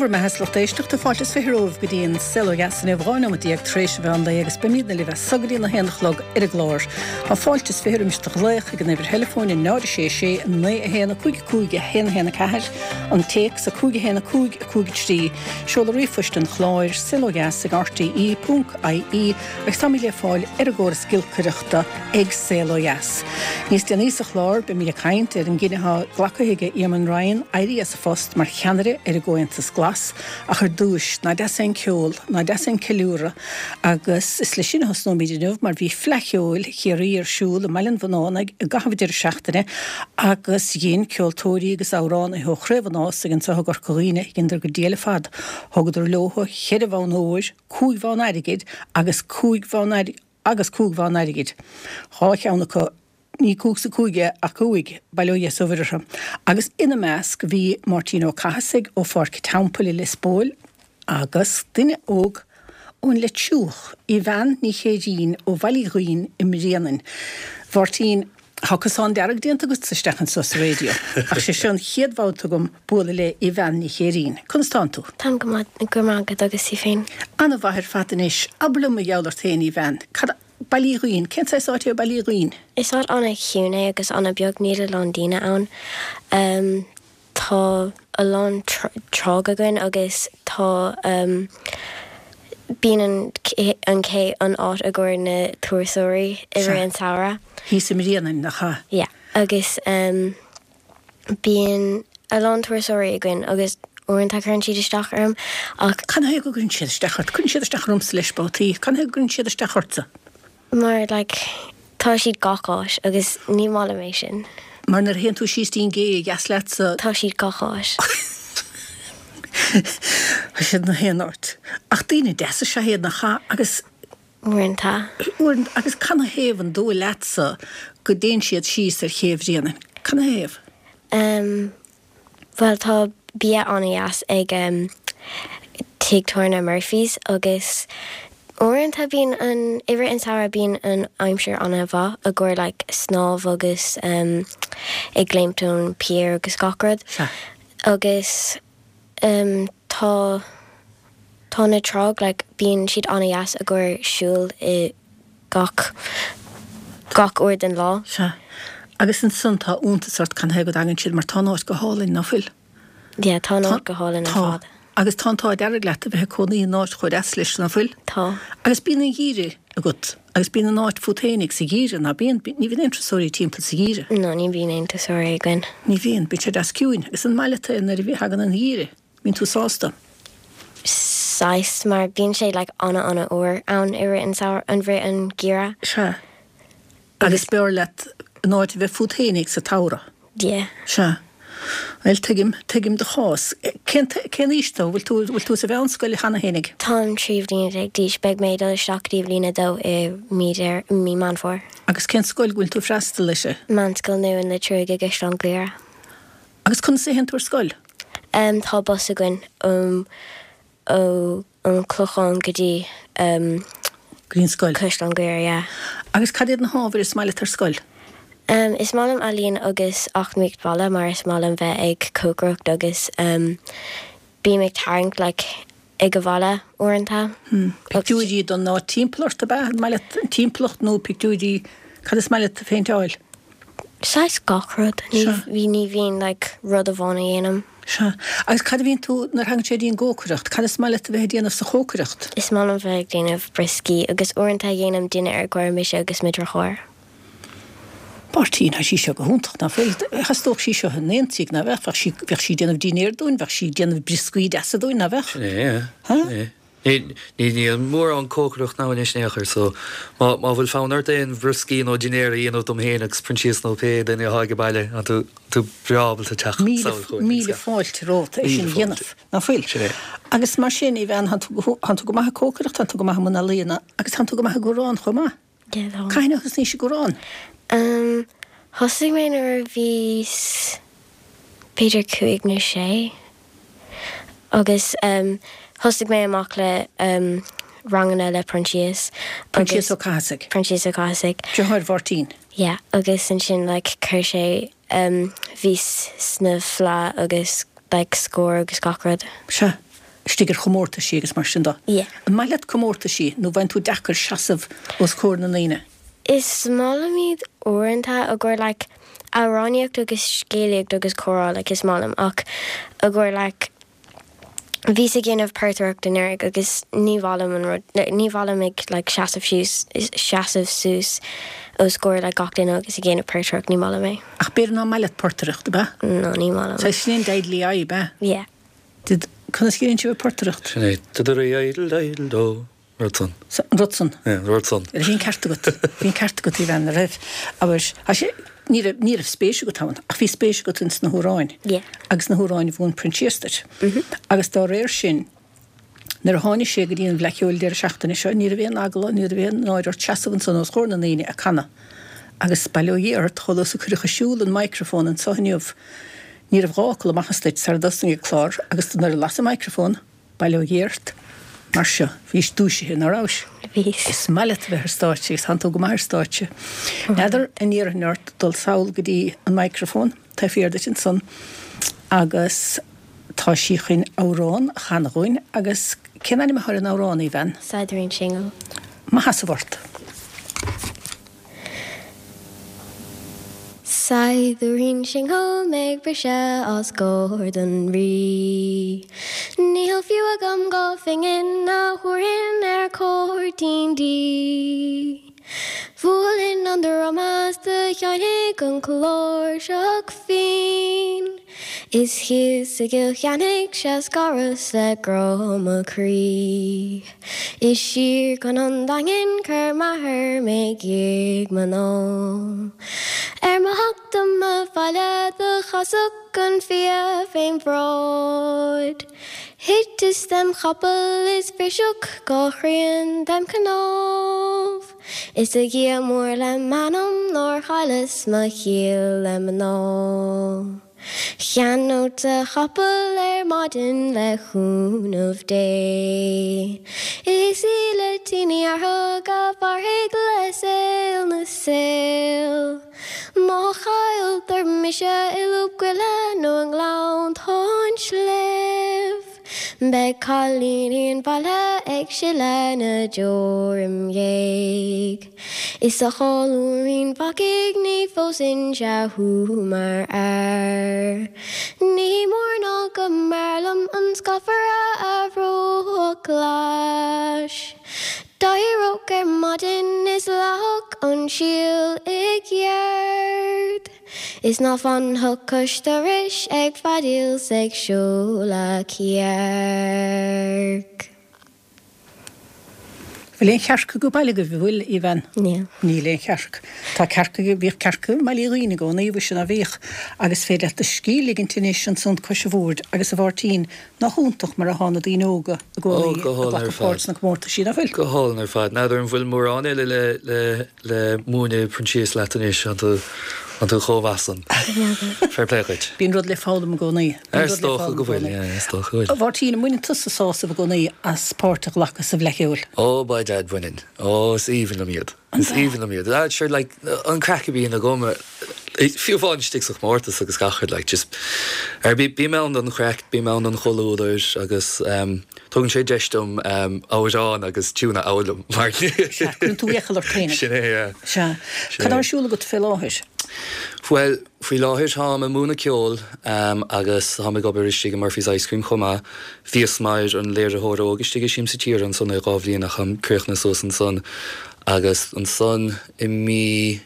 Dé bhur mbeatha 's lucht éisteachta, fáilte is 20 romhaibh go dtí an Saol Ó Dheas inniu, 12 nóiméad tar éis an mheán lae agus beimidne libh as so go dtí an 1 a chlog ar an gclár. Tá fáilte is 20 roimis do ghlaoch ag an uimhir theileafóin 0 6 6 9 1 5 5 1 1 4, an téacs 5 1 5 5 3, seoladh ríomhphoist an chláir, saolodheas ag rte ponc ie agus táimid le fáil ar an gcóras giolcaireachta ag Saol Ó Dheas. Níos déanaí sa chlár beimid ag caint ar an gcinneadh atá glactha ag Eamon Ryan éirí as a phost mar cheannaire ar an gComhaontas Glas ach ar dtúis, ná deas é an ceol, ná deas é an ceiliúradh agus is leis sin a thosnóimid inniu mar bhí Fleadh Cheoil Chiarraí ar siúl i mBaile an Bhunánaigh i gcaitheamh an deireadh seachtaine agus dhein ceoltóirí agus amhránaithe ó Chraobh an Ásaigh anseo i gCorca Dhuibhne, dheineadar go diail ar fad. Thugadar leothu cheithre bhonn óir, cúig bhonn airgid agus cúig bhonn agus cúig bhonn airgid, dhá cheann acu Ní cúig sa cúig é ach cúig, bail ó Dhia 's ó Mhuire orthu. Agus ina measc bhí Máirtín Ó Cathasaigh ó Pháirc an Teampaill i Lios Póil agus duine óg ón Leitriúch, Aoibheann Ní Chéirín ó Bhaile Uí Dhuinn i mBréanainn. Mháirtín, tá cosán dearg déanta agatsa isteach anso sa raidió, ach sé seo an chéad bhabhta agam bualadh le Aoibheann Ní Chéirín. Conas tánn tú? Táim go maith, go raibh maith agat, agus tú féin? Ana-mhaith ar fad anois. Abair liom mar gheall ort féin, Aoibheann. Cad. Baile Uí Dhuinn. Cén saghas áit é Baile Uí Dhuinn? Is áit an-chiúin é agus an-beag, níl a lán daoine ann. Tá a lán tráigh againn agus tá bíonn an an cé an áit i gcomhair na turasóirí i rith an samhradh. Thíos i mBréanainn, nach ea? Yeah agus. Bíonn a lán turasóirí againn agus uaireanta cuireann siad isteach orm ach. Cad chuige go gcuireann siad isteach ort? Cuireann siad isteach ormsa leis babhtaí. Cad chuige go gcuireann siad isteach ortsa? Mar like tá siad gach áit agus ní maith liom é sin. Mar nuair a théann tú síos dtí an gcé a dheas leatsa. Tá siad gach áit. Tá siad 'na haon áit. Ach daoine deasa is ea iad nach ea agus. Uaireanta. Uaireanta. Agus cad 'na thaobh an dóigh leatsa go dtéann siad síos ar ché Bhréanainn? Cad 'na thaobh? Em, bhuel tá bia an-dheas ag em tigh tábhairne Murphy's agus uaireanta bíonn an, i rith an samhradh bíonn an aimsir an-mhaith i gcomhair like snámh agus em ag léimt ón pier agus gach rud. Sea. Agus em tá. Tá na tráigh like bíonn siad an-dheas i gcomhair siúl i gach gach uair den lá. Sea. Agus ansan tá iontas ort cad 'na thaobh go dtagann siad mar tá an áit go hálainn, ná fuil? Yeah, tá an áit go hálainn ar Tá. fad. Agus tá an t-ádh dearg leat a bheith ag cónaí in áit chomh deas leis, ná fuil? Tá. Agus bíonn an gheimhreadh agat agus bíonn an áit fút fhéinig sa gheimhreadh, ná bíonn? Ní bhíonn aon turasóirí timpeall sa gheimhreadh. No, ní bhíonn aon turasóirí againn. Ní bhíonn. Bíonn sé deas ciúin. Agus an maith leat é nuair a thagann an gheimhreadh? Bíonn tú sásta? Saghas, mar bíonn sé like ana ana fhuar ann i rith an samhradh, an rith an geimhreadh. Sea. Agus b'fhearr leat an áit a bheith fút fhéinig sa tsamhradh? Yeah. Sea. Bhuel, tuigim, tuigim do chás. Cén, cén aois tú? Bhfuil tú, bhfuil tú sa mheánscoil cheana fhéinig? Táim 13 bhliana d'aois. Beidh mé ag dul isteach go dtí bliain a dó i mí Deireadh, mí Meán Fómhair. Agus cén scoil go bhfuil tú ag freastal uirthi? Meánscoil Nua an Leitriúigh i gCaisleán Ghriaire. Agus conas a théann tú ar scoil? Em tá bus againn ó ó an Clochán go dtí em Go dtí an scoil. Caisleán Ghriaire, yeah. Agus cad iad na hábhair is maith leat ar scoil? Em is maith liom ealaín agus eacnamaíocht bhaile mar is maith liom bheith ag cócaireacht agus em bím ag tarraingt like ag an bhaile uaireanta. Pictiúirí don áit timpeall ort ab ea? An maith leat an timpeallacht nó pictiúirí, cad is maith leat a phéinteáil? Saghas gach rud. Ní bhí, ní bhíonn like rud amháin a dhéanaim. Sea. Agus cad a bhíonn tú, nuair a thagann sé dtí an gcócaireacht, cad is maith leat a bheith ag déanamh sa chócaireacht? Is maith liom bheith ag déanamh brioscaí agus uaireanta dhéanaim dinnéar i gcomhair mise agus mo dheartháir. Máirtín, Tá sí seo go hiontach, ná fuil? Theastódh sí seo in aon tigh, ná bheadh? Bheadh sí, bheadh sí ag déanamh dinnéar dúinn, bheadh sí ag déanamh brioscaí deasa dúinn, ná bheadh? Sin é, yeah. Sin é. Ní, ní, níl mórán cócaireacht ann anois in aon chor, so má, má bhfuil fonn ort aon bhrioscaí nó dinnéar a dhéanamh dom féin agus Proinsias nó pé duine atá ag baile, tá tú, tú breá ábalta teacht Míle, míle fáilte romhat é sin a dhéanamh, ná fuil? Sin é. Agus mar sin, a Aoibheann, tánn tú go, tánn tú go maith ag cócaireacht, tánn tú go maith i mbun ealaíona agus tánn tú go maith ag amhrán chomh maith. Cathain a thosnaís ag amhrán? Umm, thosaigh mé nuair a bhíos b'fhéidir cúig nó sé agus umm thosaigh mé amach le umm ranganna le Proinsias agus. Proinsias Ó Cathasaigh. Proinsias Ó Cathasaigh. Deartháir Mháirtín. Yeah, agus ansin like chuir sé umm bhíos sna Fleadh agus like Scór agus gach rud. Sea. istigh ar chomórtaisí agus mar sin de. Yeah. An maith leat comórtaisí nó bhfaigheann tú deacair seasamh os comhair na ndaoine? Is maith liom iad uaireanta i gcomhair like amhránaíocht agus scéalaíocht agus comhrá like is maith liom ach i gcomhair like bhíos ag déanamh portaireacht anuraidh agus ní mhaith liom an rud like ní mhaith liom ag like seasamh síos seasamh suas os comhair like gach duine agus ag déanamh portaireacht ní maith liom é. Ach b'fhéidir nach maith leat portaireacht, ab ea? No, ní maith liom. Saghas sin é an deidlí aghaidh, ab ea? Yeah. Did, conas a dhéanann sibh an portaireacht? Sin é, da-da-ri-idle-idle do. Rud san. An rud san. Yeah, an rud san. Bhí an ceart agat. Bhí an ceart agat, a bhean, a raibh. Abair, tá sé, ní raibh, ní raibh spéis agat ann, ach bhí spéis agat ins na hamhráin. Yeah. Agus na hamhráin a mhúin Proinsias duit. Agus dá réir sin, nuair a tháinig sé go dtí an Fhleadh Cheoil deireadh seachtaine seo, ní raibh aon eagla, ní raibh aon náire ort seasamh ansan os comhair na ndaoine ag canadh. Agus bail ó Dhia ort, chomh luath is a cuireadh ar siúl an microphone anso inniu, ní raibh dhá fhocal amach as duit sara dtosnaigh an clár agus nuair a lasadh an microphone, Bail ó Dhia ort. Mar seo, bhís dúisithe, ná rabhais? Bhíos. Is maith leat a bheith ar stáitse agus tánn tú go maith ar stáitse. N'fheadar an iarrfainn ort dul sall go dtí an microphone, taobh thiar duit ansan, agus tá sí chun amhrán a chanadh dhúinn agus cén ainm atá ar an amhrán, a bhean? Saighdiúirín Singil. Mo sheasamh ort. Saighdiúirín singil mé ag briseadh os comhair don Rí. Níl fiú agam dha phingin a thabharfainn ar chuairtín di. Bhuailfinn an druma 's do sheinnfeadh an chláirseach bhinn. Is thíos i gCill Chainnigh 'sea scaras le grá mo chroí. Is siar chun an Daingin chuir m'athair mé gig mná. Ar mo theacht dom abhaile do chasadh an fia fém bhráid. Thiteas dem chapall is bhriseadh dha thrian dem chnámh. Is a Dhia mór le m'anam nár chailleas mo chiall le mná. Cheannódsa capall ar maidin le cúnamh Dé. Is í le Ní fhearfaidh a mhairfidh le saol na saol. Má chailltear mise i lúb goile nó i ngleanntán sléibh. Beidh cailíní an bhaile ag sileadh na deor im dhiaidh. Is a cholúirín bhacaigh ní phósfainnse thú mar fhear. Ní mór ná go mb'fhearr liom an scafaire a bhrothach ghlais. D'éireodh ar maidin is leáfadh an síol i gceart. Is ná fanfadh cois dorais ag feadaíl 's ag seoladh cearc. Bhfuil aon chearc aige baile agaibh, an bhfuil, a bhean? Níl. Níl aon chearc. Tá cearca, bhíodh cearca i mBaile Uí Dhuinn i gcónaí, mhuise ná bhíodh. Agus féidir leat do scíth a ligint anois ansan cois an bhoird agus a Mháirtín, nach iontach mar atá na daoine óga i gcónaí ag glacadh páirt sna comórtaisí, nach bhfuil? Go hálainn ar fad. N'fheadar an bhfuil mórán eile le, le. le múineadh Proinsias leat anois, an tú, an tú chomh maith san? Fair play dhuit. Bíonn rud le foghlaim i gcónaí. Bíonn Is rud le dócha foghlaim go i bhfuil, gcónaí. yeah, is dócha go bhfuil. A Mháirtín, an mbaineann tusa sásamh i gcónaí as páirt a ghlacadh sa Bhfleadh Cheoil? Ó, by dad, baineann. Ó, is aoibhinn liom iad. Is aoibhinn liom iad. Ah, sure, like, an craic a bhíonn agam, fiú amháin istigh sa chomórtas agus gach rud, like, just, ar, bí, bím ann don chraic, bím ann don chomhluadar agus, em, Tugann sé deis dom amhrán agus tiún a fhoghlaim mar. Sea, cuireann tú iachall ort féinig. Sin é, yeah. Sea. Cad tá ar siúl agat fé láthair? Bhuel, faoi láthair táim ag múineadh ceoil agus táim ag obair istigh i Murphy's Ice Cream chomh maith. Bhíos mar an léiritheoir óg istigh i Siamsa Tíre ansan ar dhá bhliain ach táim críochnaithe suas ansan agus ansan i mí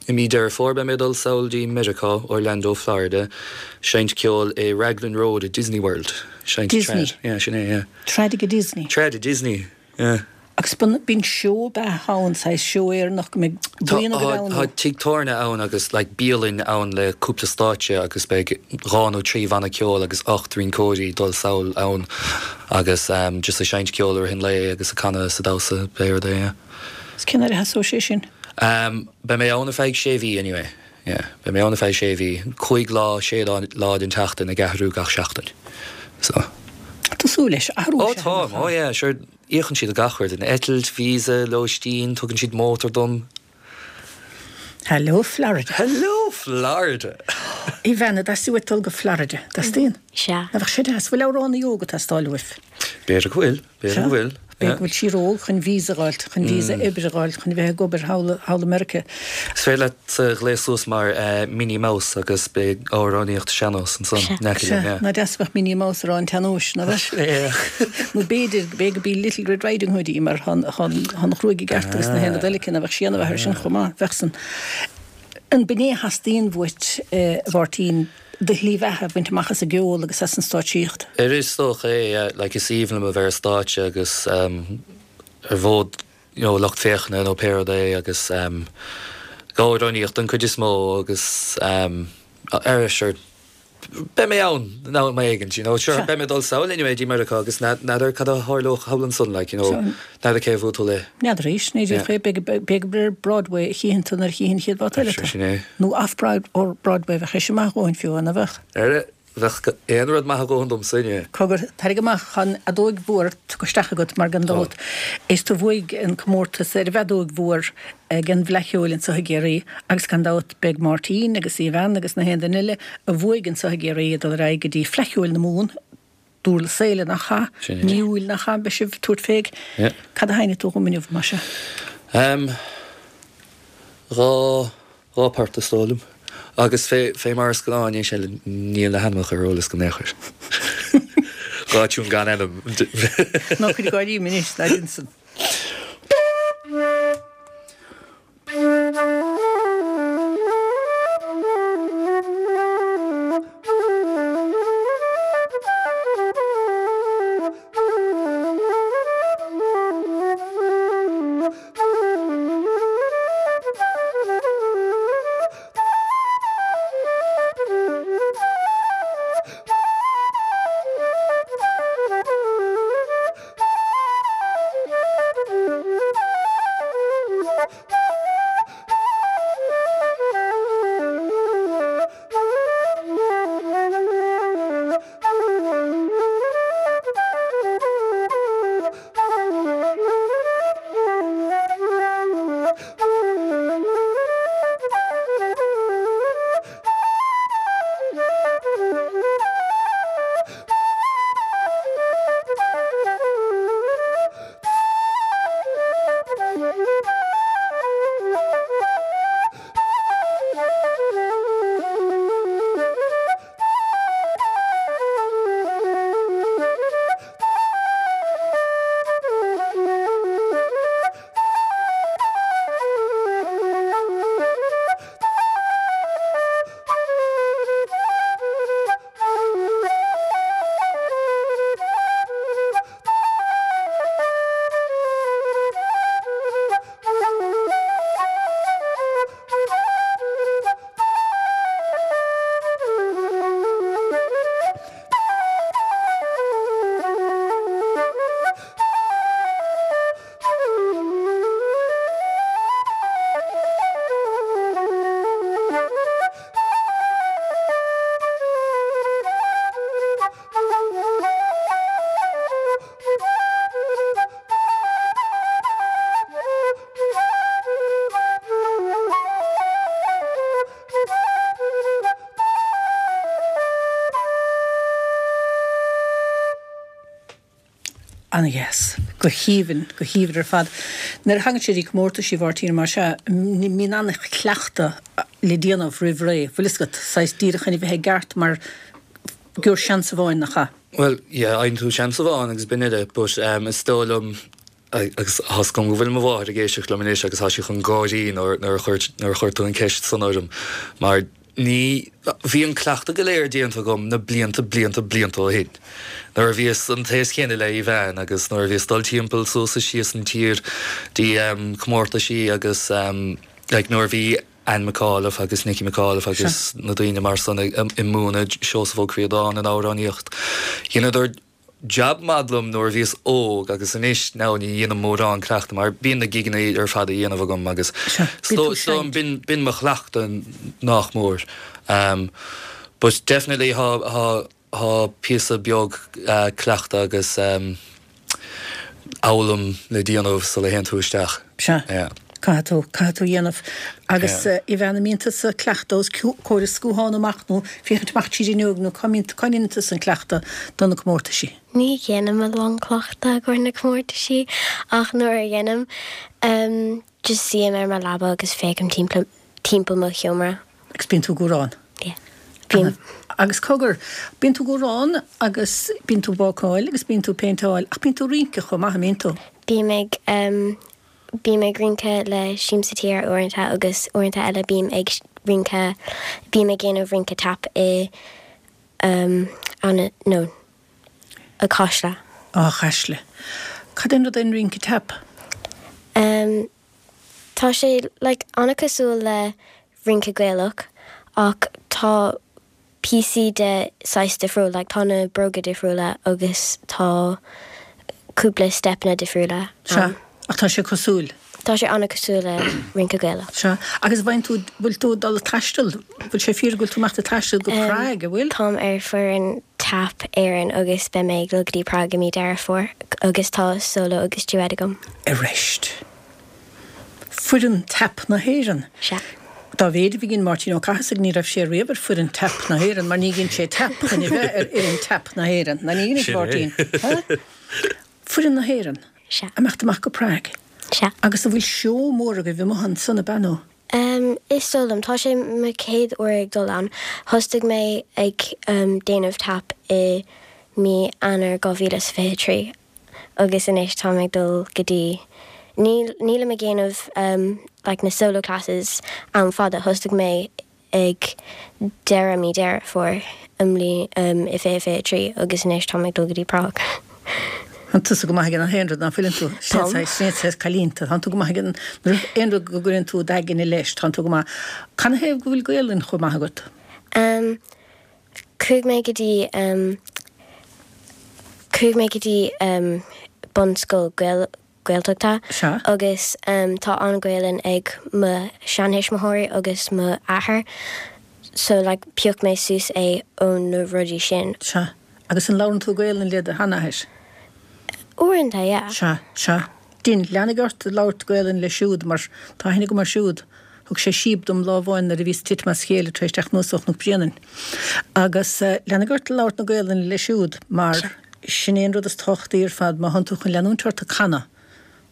I mí Deireadh Fómhair beidh mé ag dul sall dtí Meiriceá, Orlando, Florida, seinnt ceoil i Raglan Road i Disney World. Seinnt Disney? trad. Yeah, sin é, yeah. Trad ag Disney? Trad i Disney, yeah. Agus bíonn seó ab ea ann, saghas seó Éireannach go mbeidh buíon agaibh ann nó? Tá tigh tábhairne ann agus like bialann ann le cúpla stáitse agus beidh dhá nó trí bhanna ceoil agus ocht rinceoirí ag dul sall ann agus just ag seinnt ceoil i rith an lae agus ag canadh is ag damhsa pé rud é, yeah. Is cén uair a thosóidh sé sin? Em, beidh mé ann ar feadh sé mhí anyway, yeah, beidh mé ann ar feadh sé mhí, cúig lá, sé lá den tseachtain ag athrú gach seachtain, so. Tá tú súil leis, athrú Ó táim, ó yeah, sure, íocann siad gach rud, an eitilt, visa, lóistín, tugann siad mótar dom. Hello Florida. Hello Florida! Aoibheann, an dteastaíonn uait dul go Florida? Teastaíonn? Sea. Nach bheadh sé deas? Bhfuil amhránaí óg ag teastáil uaibh? B'fhéidir go bhfuil, b'fhéidir go bhfuil. B'fhéidir go bhfuil sí ró-óg chun visa a dh'fháilt, chun visa oibre a dh'fháilt, chun bheith ag obair thall, thall i Meiriceá. Is féidir leat gléas suas mar Minnie Mouse agus beidh amhránaíocht sean-nós ansan in aice linn, yeah. Nach deas a bheadh Minnie Mouse ag rá an tsean-nóis, nach bheadh? Nó b'fhéidir, b'fhéidir gurb í Little Red Riding Hood í mar tá an ghruaig i gceart agus na haon rud eile aici, nach bheadh sí ana-mhaith air sin chomh maith, bheadh san. An b'in é a theastaíonn uait, a Mháirtín, do shlí bheatha a bhaint amach as an gceol agus as an stáitsíocht? Ar is dócha é, yeah. Like is aoibhinn liom a bheith ar stáitse agus ar bhfód you know lucht féachana nó pé rud é agus ag amhránaíocht den chuid is mó agus ar sure beidh mé ann in am éigint, you know. Sure, beidh mé ag dul sall anyway dtí Meiriceá agus n'fheadar cad a tharlódh thall ansan, like, you know, n'fheadar cé a bhuailfidh tú le. N'fheadar arís, ní díreach é, b'fhéidir gur ar Broadway a chífeann tú nuair a chífeann an chéad bhabhta eile tú. Sin é. Nó off Broadway, bheadh sé sin maith a dhóthain fiú, an bheadh? Ar, bheadh aon rud maith a dhóthain domsa, inniu. Cogar, tarraing amach an fheadóig mhór tugtha isteach agat mar gan dabht is tú a bhuaigh an comórtas ar an bhfeadóig mhór ag an bhFleadh Cheoil anseo i gCiarraí agus gan dabht beidh Máirtín agus Aoibheann agus na haon duine eile a bhuaigh anseo i gCiarraí ag dul ar aghaidh go dtí Fleadh Cheoil na Mumhan, Durlas Éile nach ea? Sin é. Mí Iúil nach ea? Beidh sibh ag tabhairt fé. Yeah. Cad a sheinnfidh tú dhom inniu, más ea? Em, dha, dha port is dóigh liom. Agus fé, fé mar is gnáth anois eile níl na hainmneacha ar eolas agam in aon chor. Dha tiún gan ainm. Ná cuir ag gáirí mé anois, ná déan san. Ana-dheas. Go haoibhinn, go haoibhinn ar fad. Nuair a thagann sé dtí comórtaisí, a Mháirtín, mar sea, mbíonn an-chleachtadh le déanamh roimh ré, bhfuil fhios agat, saghas díreach chun a bheith i gceart mar gheobhair seans amháin, nach ea? Bhuel, yeah, fhaigheann tú seans amháin agus b'in uile, but is dóigh liom, agus tá 's agam go bhfuil mo mháthair ag éisteacht liom anois agus tá sí chun gáirí nuair a chuir tú an ceist san orm, mar ní, bhí an cleachtadh go léir déanta agam na blianta, blianta, blianta ó shin, nuair a bhíos an t-aos chéanna le Aoibheann agus nuair a bhíos dul timpeall suas is síos an tír dtí comórtaisí agus like nuair a bhí Anne McAuliffe agus Nicky McAuliffe agus na daoine mar san ag múineadh Seosamh Ó Críodáin an amhránaíocht. Dheineadar jab maith liom nuair a bhíos óg agus anois now ní dhéanaim mórán cleachtadh mar bíonn na gigeanna ar fad a dhéanamh agam agus so so b'in b'in mo chleachtadh nach mór. But definitely thá thá thá píosa beag cleachtadh agus fhoghlaim le déanamh sula théann tú isteach. Sea. Caithfidh tú, caithfidh tú a dhéanamh. Agus Aoibheann, an mbíonn tusa ag cleachtadh os comhair an scuatháin amach nó féachaint amach tríd an fhuinneog nó cá mbíonn, cá ndéanann tusa an cleachtadh do na comórtaisí? Ní dhéanaim a lán cleachtadh i gcomhair na comórtaisí ach nuair a dhéanaim, just suím ar mo leaba agus féachaim timpeall, timpeall mo sheomra. Agus bíonn tú ag amhrán? Yeah. Bím. Agus cogar, bíonn tú ag amhrán agus bíonn tú ag bácáil agus bíonn tú ag péinteáil ach bíonn tú ag rince chomh maith, an mbíonn tú? Bím ag, Bím ag rince le Siamsa Tíre uaireanta agus uaireanta eile bím ag rince, bím ag déanamh rince tap i no, i Caisle. Á, Caisle. Cad é an rud é an rince tap? Em, tá sé like an-cosúil le rince Gaelach ach tá píosaí de saghas difriúil, like tá na bróga difriúla agus tá cúpla steipeanna difriúla Sea, ann. ach tá sé cosúil. Tá sé an-cosúil le rince Gaelach. Sea, agus bhfaigheann tú, bhfuil tú ag dul ag taisteal, bhfuil sé fíor go bhfuil tú ag imeacht ag taisteal go Prague, an bhfuil? Táim ar foireann Tap Éireann agus beidh mé ag dul go dtí Prague i mí Deireadh Fómhair agus tá solo agus duet agam. Arist. Foireann Tap na hÉireann. Sea. Dá mhéid a bhí Máirtín Ó Cathasaigh ní raibh sé riamh ar foireann Tap na hÉireann mar ní dhein sé tap chun a bheith ar fhoireann Tap na hÉireann. Ná ní dhein, a Mháirtín? Ha? Foireann na hÉireann. Sea. Imeacht amach go Prague. Sea. Agus an bhfuil seó mór agaibh amuigh ansan ab ea nó? Em, is dóigh liom. Tá sé mo chéad uair ag dul ann. Thosaigh mé ag, em, déanamh tap i mí Eanáir 2023. agus anois táim ag dul go dtí, níl, nílim ag déanamh like na solo classes am fada, thosaigh mé ag deireadh mí Deireadh Fómhair i mbliain, i 2023 agus anois táim ag dul go dtí Prague. Tánn tusa go maith ag an aon rud, ná fuileann tú? Táim. Sin é saghas cailín tú, tánn tú go maith ag an, aon rud go gcuireann tú d'aigne leis, tánn tú go maith. Canathaobh go bhfuil Gaolainn chomh maith agat? Em, Chuaigh mé go dtí chuaigh mé go dtí bunscoil Gaeltachta agus tá an Ghaelainn ag mo sheantuismitheoirí agus mo athair so like phioc mé suas é ó na rudaí sin. Sea. Agus an labhrann tú Gaelainn le do sheanathair? Uaireanta, yeah. Sea, sea. Dein, lean ort ag labhairt Gaelainn leis siúd mar tá aithne agam air siúd. Thug sé síob dom lá amháin nuair a bhíos ag titim as a chéile tar éis teacht anuas ó Chnoc Bréanainn. Agus lean ort ag labhairt na Gaelainne leis siúd mar sin é an rud is tábhachtaí ar fad má thánn tú chun leanúint ort ag canadh,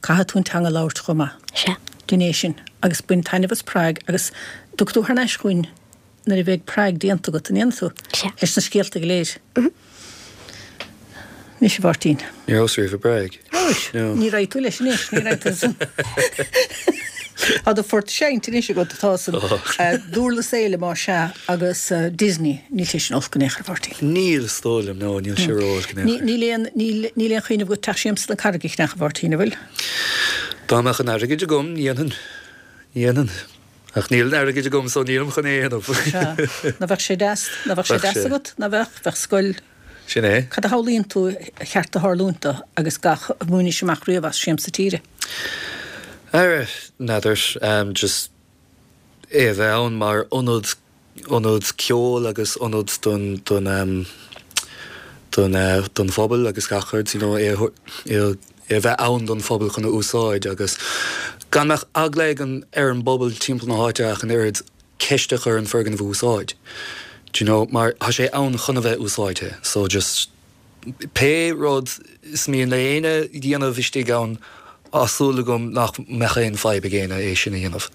caithfidh tú an teanga a labhairt chomh maith. Sea. Dein é sin agus bain taitneamh as Prague agus tiocfaidh tú thar n-ais chugainn nuair a bheidh Prague déanta agat, an ndéanfaidh tú? Sea. Leis na scéalta go léir. Anois, a Mháirtín. Ní rabhas riamh i bPrág. Rabhais? No. Ní raghaidh tú leis anois, ní raghaidh tú san. Tá do phort seinnte anois agat, tá san Dúrlas Éile más ea agus Disney, níl sé sin olc in aon chor, a Mháirtín. Níl, is dóigh liom, no, níl sé ró-olc in aon chor. Níl aon, níl, níl aon chuimhneamh agat Teach Siamsa na Carraige a cheannach, a Mháirtín, an bhfuil? Dá mbeadh an airgid agam, ní dhéanfainn, ní dhéanfainn. Ach níl an airgid agam so nílim chun é a dhéanamh. Sea. Ná bheadh sé deas, ná bheadh sé deas agat, ná bheadh, bheadh scoil. Sin é. Cad a shamhlaíonn tú ar cheart do tharlúint do agus gach a bhainis amach riamh as Siamsa Tíre? Ara, n'fheadar, just é a bheith ann mar ionad, ionad ceoil agus ionad don, don, don, don phobal agus gach rud, you know, é a, é a, é a bheith ann don phobal chun a úsáid agus gan mbeadh eagla ag an, ar an bpobal timpeall na háite ach an oiread ceist a chur an foirgneamh a úsáid. Do you know, mar tá sé ann chun a bheith úsáidte so just pé rud is mian le éinne dhéanamh istigh ann tá súil agam nach mbeadh aon fadhb ag éinne é sin a dhéanamh.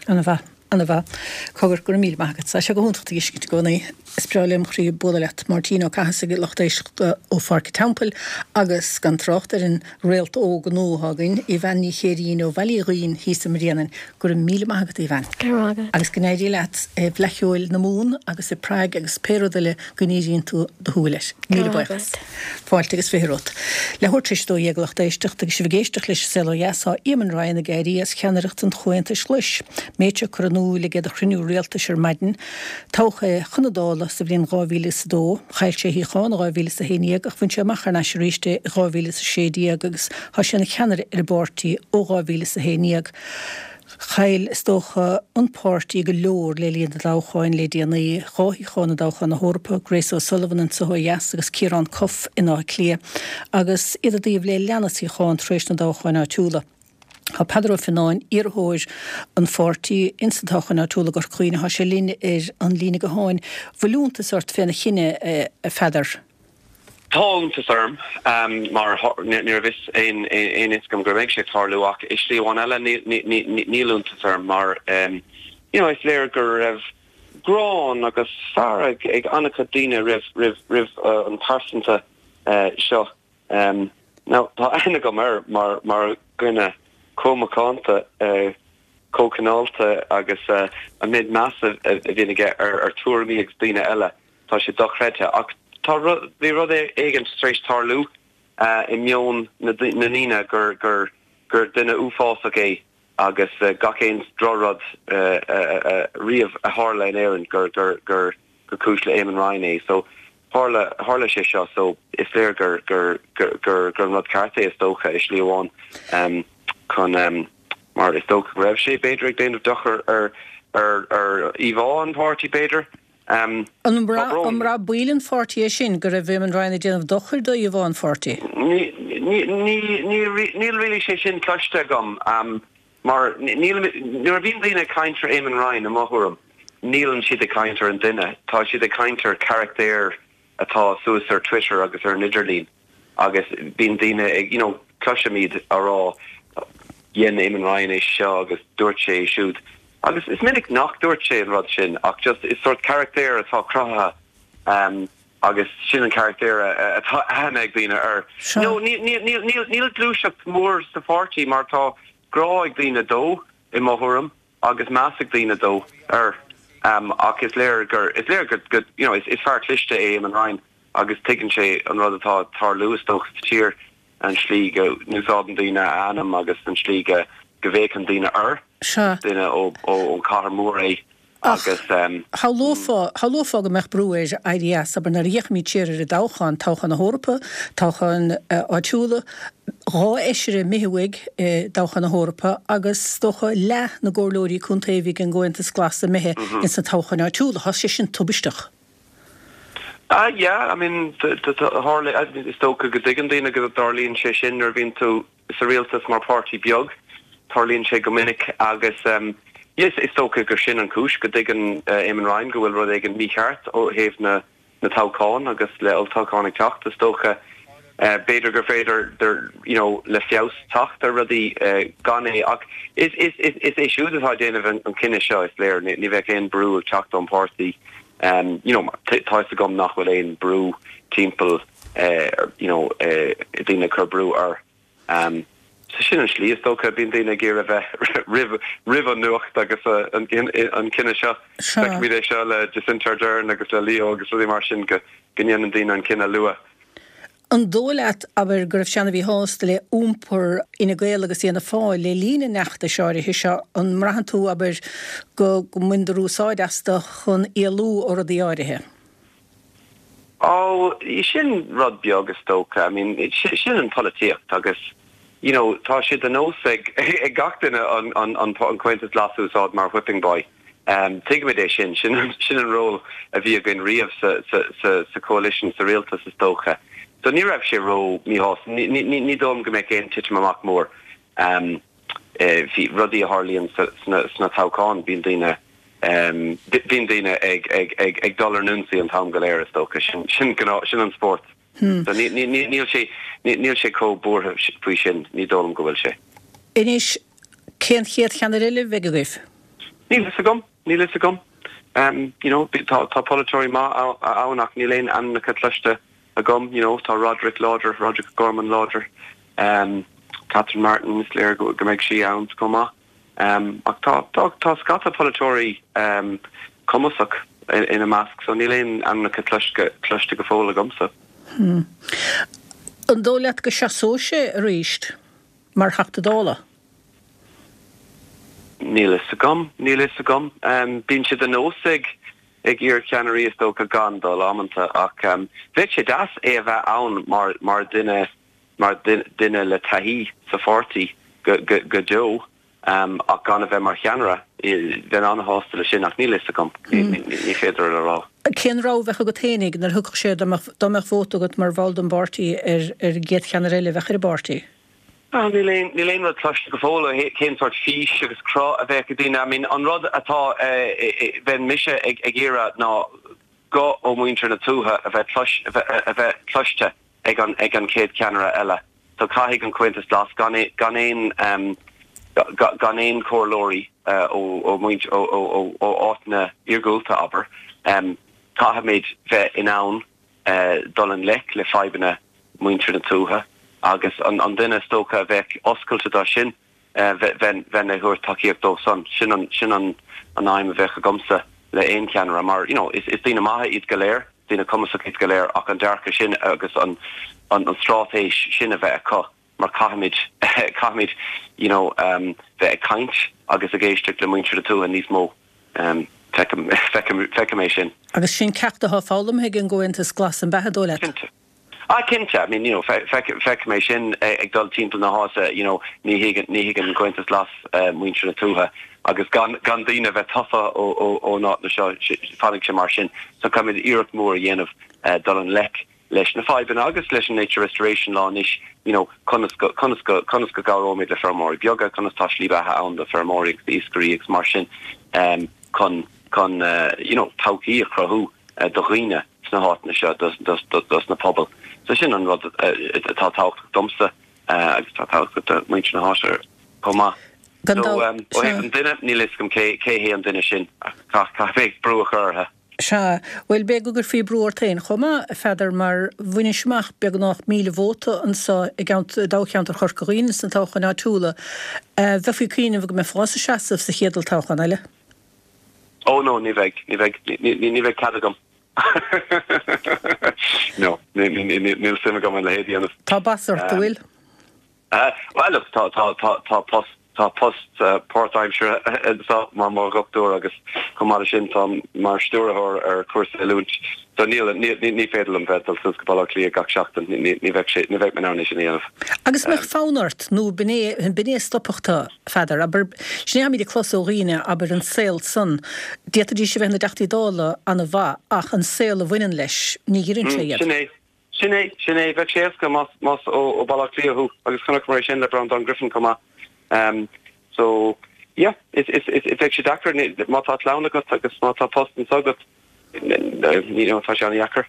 Ana-mhaith. Ana-mhaith. Cogar, go raibh míle maith agat. Tá sé go hiontach tú a fheiscint i gcónaí. Is breá lem chroí bualadh leat. Máirtín Ó Cathasaigh, lucht éisteachta ó Pháirc an Teampaill agus gan trácht ar an réalt óg nua atá againn, Aoibheann Ní Chéirín ó Bhaile Uí Dhuinn thíos i mBréanainn. Go raibh míle maith agat, Aoibheann. Go raibh maith agat. Agus go n-éirí leat i bhFleadh Cheoil na Mumhan agus i Prague agus pé rud eile go ndíríonn tú do shúil air. Míle buíochas. Fáilte agus 20 romhat. Leathuair tar éis a 12 a lucht éisteachta agus sibh ag éisteacht leis an Saol Ó Dheas tá Eamon Ryan ag éirí as ceannaireacht an Chomhaontais Ghlais. Méid seo curtha in iúl aige do chruinniú rialtais ar maidin. Toghadh é chun na Dála sa bhliain 2002. Chaill sé a shuíochán i 2011 ach bhain sé amach thar n-ais arís é i 2016 agus tá sé ina cheannaire ar an bpáirtí ó 2011. Chaill, is dócha, an páirtí go leor le linn na dtoghcháin le déanaí, 2 shuíochán i dtoghchán na hEorpa, Grace O'Sullivan anso ó dheas agus Ciarán Cuffe in Áth Cliath, agus iad i dtaobh le leanbh suíochán tar éis na dtoghcháin áitiúla. Tá Peadar Ó Fionnáin, iarrthóir an pháirtí ins an toghchán áitiúil i gCorca Dhuibhne, tá sé linn ar an líne gutháin. Bhfuil iontas ort féna chinneadh, a Pheadair? Tá iontas orm, mar ní raibh fhios aon fhios agam go mbeidh sé ag tarlú ach i slí amháin eile níl iontas orm mar you know is léir go raibh gráin agus fearg ag an-chuid daoine roimh roimh an pearsanta seo. Now, tá aithne agam air mar mar dhuine chomh macánta, chomh cineálta agus an méid measa a bhíonn aige ar ar tuairimí agus daoine eile, tá sé dochreidte. Ach tá rud, bhí rud éigin tar éis tarlú i meon na ndaoine gur gur gur duine uafásach é agus gach aon drochrud riamh a tharla in Éirinn gur gur gur gur cúis le Eamon Ryan é. So tharla tharla sé seo so is léir gur gur gur gur gur an rud ceart é is dócha i slí amháin chun mar is dócha go raibh sé b'fhéidir ag déanamh dochar ar ar ar íomhá an pháirtí b'fhéidir. An mbraith baill an pháirtí é sin, go raibh Eamon Ryan ag déanamh dochair do íomhá an pháirtí? Níl really sé sin cloiste agam mar níl, nuair a bhíonn daoine ag caint ar Eamon Ryan, i mo thuairim, níleann siad ag caint ar an duine, tá siad ag caint ar charachtair atá suas ar Twitter agus ar an idirlíon agus bíonn daoine ag, you know, cloisimid á rá dhein Eamon Ryan é seo agus dúirt sé é siúd agus is minic nach dúirt sé an rud sin ach just is sort carachtair atá cruthaithe um, agus sin an carachtair atá aithne ag daoine air. No, níl, níl, níl, níl, níl gluaiseacht mór sa pháirtí mar tá grá ag daoine dó i mo thuairim. agus meas ag daoine dó, air. Ach is léir gur, is léir gur, go, you know, is, is fear cliste é Eamon Ryan agus tuigeann sé an rud atá ag tarlú is dócha sa tír, an slí go n-úsáideann daoine a ainm agus an slí go, go bhféachann daoine air. Sea. Duine ó, ó, ón chathair mór é Ach agus. shamhlófá, shamhlófá go mbeadh brú air éirí as, abair, nuair a fhéachaimid siar ar an dtoghchán, toghchán na hEorpa, toghcháin áitiúla, 2 fheisire imithe uaidh i dtoghchán na hEorpa agus is dócha leath na gcomhairleoirí contae a bhí ag an gComhaontas Glas imithe ins na toghcháin áitiúla. Tá sé sin tubaisteach. Ah yeah, I mean, tharla, is dócha go dtuigeann daoine go dtarlaíonn sé sin nuair a bhíonn tú sa rialtas mar páirtí beag. Tarlaíonn sé go minic agus yes, is dócha gur sin an chúis go dtuigeann Eamon Ryan go bhfuil rud éigin mícheart ó thaobh na na toghcháin agus le olltoghchán ag teacht is dócha b'fhéidir gur féidir you know le feabhas teacht ar rudaí gan é ach is is is is é siúd atá ag déanamh an cinneadh seo is léir ní bheadh aon brú ag teacht ón páirtí you know tá fhios agam nach bhfuil aon brú timpeall you know daoine ag cur brú air. So sin an slí is dócha, bíonn daoine ag iarraidh bheith roimh roimh an nuacht agus an cinneadh seo. Feicimid é seo le Jacinta Ardern agus le Leo agus rudaí mar sin go go ndéanann daoine an cinneadh luath. An dóigh leat, abair, go raibh sé ana-mhíshásta le iompar Fhine Gael agus Fhianna Fáil le linn an fheachtais áirithe seo? An mbraitheann tú, abair, go go mbaineadar úsáid astu chun éalú ó rudaí áirithe? Ó, sin rud beag is dócha. I mean, sin an pholaitíocht agus, you know, tá sé de nós ag ag gach duine an an an Comhaontas Glas a úsáid mar whipping boy. Tuigimid é sin, sin sin an ról a bhí againn riamh sa sa sa sa coalition, sa rialtas is dócha. So ní raibh sé ró míshásta, ní ní ní dóigh liom go mbeadh aon titim amach mór. Bhí rudaí a tharlaíonn sna sna toghcháin, bíonn daoine Bíonn daoine ag dul ar n-ionsaí an t-am go léir, is dócha. Sin sin an spórt. So níl sé níl sé chomh buartha faoi sin, ní dóigh liom go bhfuil sé. Anois, cén chéad cheannaire eile a bheidh agaibh? Níl fhios agam, níl fhios agam. You know, tá tá polaiteoirí maith ann ach níl aon ainmneacha cloiste agam. You know, tá Roderick láidir, Roderick O'Gorman láidir. Catherine Martin, is léir go mbeidh sí ann chomh maith. Ach tá, tá, tá scata polaiteoirí cumasach ina measc so níl aon ainmneacha cloiste, cloiste go fóill agamsa. An dóigh leat go seasóidh sé arís mar Theachta Dála? Níl fhios agam, níl fhios agam. Bíonn sé de nós ag, ag iar-cheannairí is dócha gan dul amanta ach bheadh sé deas é a bheith ann mar, mar dhuine, mar dhuine le taithí sa pháirtí go deo ach gan a bheith mar cheannaire. Bheinn an-shásta leis sin ach níl a fhios agam, ní féidir a rá. Cén rogha a bheadh agat féinig nuair a thiocfadh sé, dá mbeadh vóta agat mar bhall den bpáirtí ar an gcéad cheannaire eile a bheadh ar an bpáirtí? Ah, níl aon, níl aon rud cloiste go fóill ó cén sórt fís agus cruth a bheadh ag daoine. I mean, an rud atá, bheinn mise ag, ag iarraidh ná guth ó mhuintir na tuaithe a bheith clois, a bheith cloiste ag an, ag an chéad cheannaire eile. So caithfidh an Comhaontas Glas gan, gan aon, gan aon chomhairleoirí ó, ó mhuintir, ó, ó, ó, ó áiteanna iargúlta, abair, caithfimid bheith in ann dul i ngleic le fadhbanna muintir na tuaithe agus an duine is dócha a bheadh oscailte dó sin, bheinn ag thabhairt tacaíocht dó san. Sin an, sin an aidhm a bheadh agamsa le aon cheannaire mar, you know, is daoine maithe iad go léir, daoine cumasacha iad go léir ach an dearcadh sin agus an straitéis sin a bheith acu mar caithfimid, caithfimid, you know, bheith ag caint agus ag éisteacht le muintir na tuaithe níos mó. Feicim, feicim, feicim é sin. Agus sin ceacht atá foghlamtha ag an gComhaontas Glas an b'ea, dóigh leat? Cinnte. Ah, cinnte. I mean, you know, feicim é sin ag dul timpeall na háite, you know, ní thuigeann, ní thuigeann an Comhaontas Glas muintir na tuaithe agus gan, gan daoine a bheith tofa ó, ón áiteanna seo, fanfaidh sé mar sin. So caithfimid iarracht mhór a dhéanamh dul i ngleic leis na fadhbanna agus leis an Nature Restoration Law anois, you know, conas go, conas go, conas go gcabhróimid le feirmeoirí beaga, conas tá slí beatha ann do feirmeoirí agus d'iascairí agus mar sin chun, chun, you know, todhchaí a chruthú do dhaoine sna háiteanna seo, dos na pobail. So sin an rud atá tábhachtach domsa agus atá tábhachtach do mhuintir na háite chomh maith. So ó thaobh an duine, níl a fhios agam cé hé an duine sin ach caithfidh mé brú a chur orthu. Sea, bhuel, b'fhéidir go gcuirfí brú ort féin chomh maith, a Pheadair, mar bhainis amach beagnach 1,000 vóta anso i dtoghcheantar Chorca Dhuibhne sna toghcháin áitiúla. Bheifí ag cuimhneamh go mbeifeása ag seasamh sa chéad olltoghchán eile. Oh no, ní bheidh, ní bheidh, ní bheidh cead agam. No, níl suim agam a leithéid a dhéanamh. Tá bas ort, an bhfuil? Bhuel, look, tá, tá, tá, tá post, tá post páirtaimseartha anseo mar mo dhochtúir agus chomh maith leis sin táim mar stiúrthóir ar chúrsa oiliúint. So níl, ní, ní féidir liom bheith ag dul suas go Baile Átha Cliath gach seachtain, ní, ní bheadh sé, ní bheadh mé in ann é sin a dhéanamh. Agus mbeadh fonn ort, nó b'in é, b'in é a stopfadh tú, a Pheadair, abair, sin é atáimid ag clos ó dhaoine, abair, an saol san, d'fhéadfaidís a bheith ina dTeachtaí Dála ana-mhaith ach an saol a bhaineann leis, ní ghiorrann sé iad. Sin é. Sin é, sin é. Bheadh sé éasca más, más ó, ó Baile Átha Cliath thú agus chonaiceamar é sin le Breandán Griffin chomh maith. So, yeah, is, is, is, bheadh sé deacair má tá clann agat agus má tá post anso agat, you know, tá sé an-dheacair.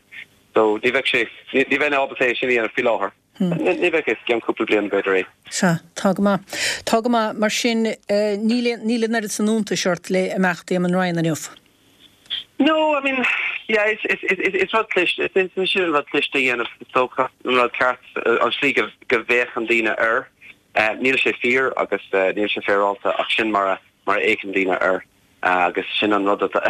So, ní bheadh sé, ní, ní bheinn ábalta é sin a dhéanamh faoi láthair. Ní bheadh, i gceann cúpla bliain b'fhéidir é. Sea, tá go maith. Tá go maith. Mar sin, níl aon, níl an oiread san iontais ort le imeacht Éamon Ryan inniu. No, I mean, yeah, is, is, is, is rud cliste, is, is sin an rud cliste a dhéanamh, is dócha, an rud ceart, an slí go, go bhféachann daoine air. Níl sé fíor agus níl sé féaráilte ach sin mar a, mar a fhéachann daoine air agus sin an rud atá,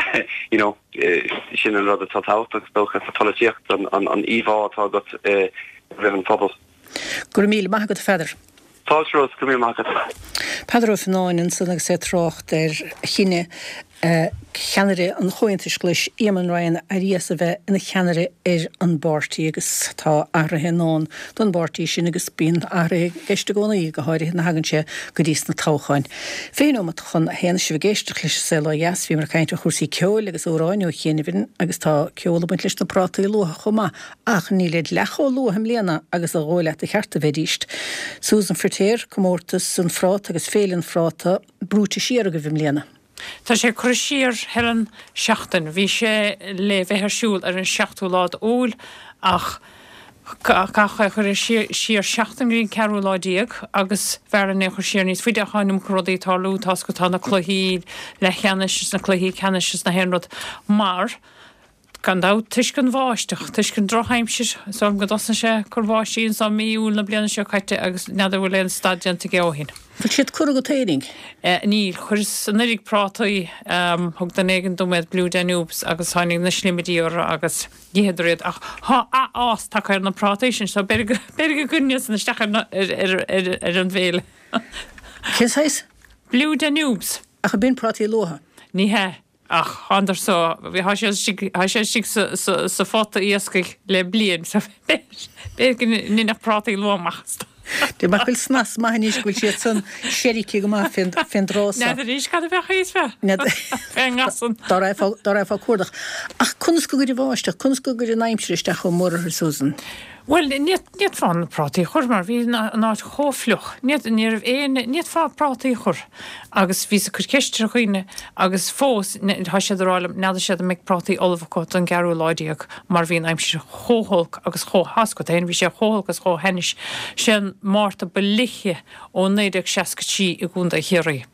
you know, sin an rud atá tábhachtach, is dócha, sa pholaitíocht, an, an, an íomhá atá agat roimh an phobal. Go raibh míle maith agat, a Pheadair. Fáilte Rós, go raibh míle maith agat. Peadar Ó Fionnáin ansan agus é ag trácht ar chinneadh cheannaire an Chomhaontais Ghlais, Éamon Ryan, éirí as a bheith ina cheannaire ar an bpáirtí agus tá athruithe i ndán don bpáirtí sin agus bíonn athruithe i gceist i gcónaí, go háirithe nuair a thagann sé go dtí sna toghcháin. 20 nóimeat chun a haon, sibh ag éisteacht leis an Saol Ó Dheas, bhíomar ag caint ar chúrsaí ceoil agus amhráin ó chianaibh agus tá ceol ag baint leis na prátaí luatha chomh maith Ach nílid leath chomh luath i mbliana agus a dhóigh leat ba cheart a bheidíst. Susan Firtéar, Comórtas an Phráta agus Féile an Phráta brúite siar agaibh i mbliana. Tá sé curtha siar, Helen, seachtain. Bhí sé le bheith ar siúl ar an seachtú lá d'Iúil ach caitheadh é a chur siar seachtain go dtí an ceathrú lá déag agus b'fhearr linn é a chur siar níos faide ach tá an iomarca rudaí ag tarlú, tá's agat tá na cluichí leathcheannais is na cluichí ceannais is na haon rud mar Gan dabht, toisc an bháisteach, toisc an drochaimsir, is dóigh liom go dtosnaigh sé ag cur báistí anso i mí Iúil na bliana seo caite agus n'fheadar bhfuil aon stad déanta aige ó shin. Bhfuil siad curtha agat fhéinig? Níl. Chuireas anuraidh prátaí, thug duine éigin dom iad, Blue Danubes, agus tháinig na sliomidí orthu agus d'itheadar iad. Ach tá athfhás tagtha ar na prátaí sin so b'fhéidir go, b'fhéidir go gcuirfinn iad san isteach ar na, ar, ar, ar, ar an bhféile. Cén saghas? Blue Danubes. Ach ab in prátaí luatha? Ní hea. Ach thánadar so, thá siad istigh, thá siad istigh sa, sa, sa phota iascaigh le bliain, so b'fhéidir go ndéanfadh prátaí luath amach astu. Dé mar go bhfuil snas maith anois go bhfuil siad san seirgthe go maith fén, fén dtráth so. N'fheadar arís cad a bheadh thíos fé, fén ngasan. Dá raghfá, dá raghfá ag cuardach. Ach conas go gcuir an bháisteach, conas go gcuir an aimsir isteach chomh mór orthu, Susan? Bhuel, ní fhéadfá na prátaí a chur mar bhí an áit chomh fliuch. Ní ní raibh aon, ní fhéadfá prátaí a chur. Agus bhíos ag cur ceist ar dhaoine agus fós tá siad ag rá liom, n'fheadar siad an mbeidh prátaí ullamh acu don gceathrú lá déag mar bhí an aimsir chomh holc agus chomh, tá a fhios agat féin, bhí sé chomh holc agus chomh hainnis. Sé an Márta ba fhliche ó 1963 i gContae Chiarraí.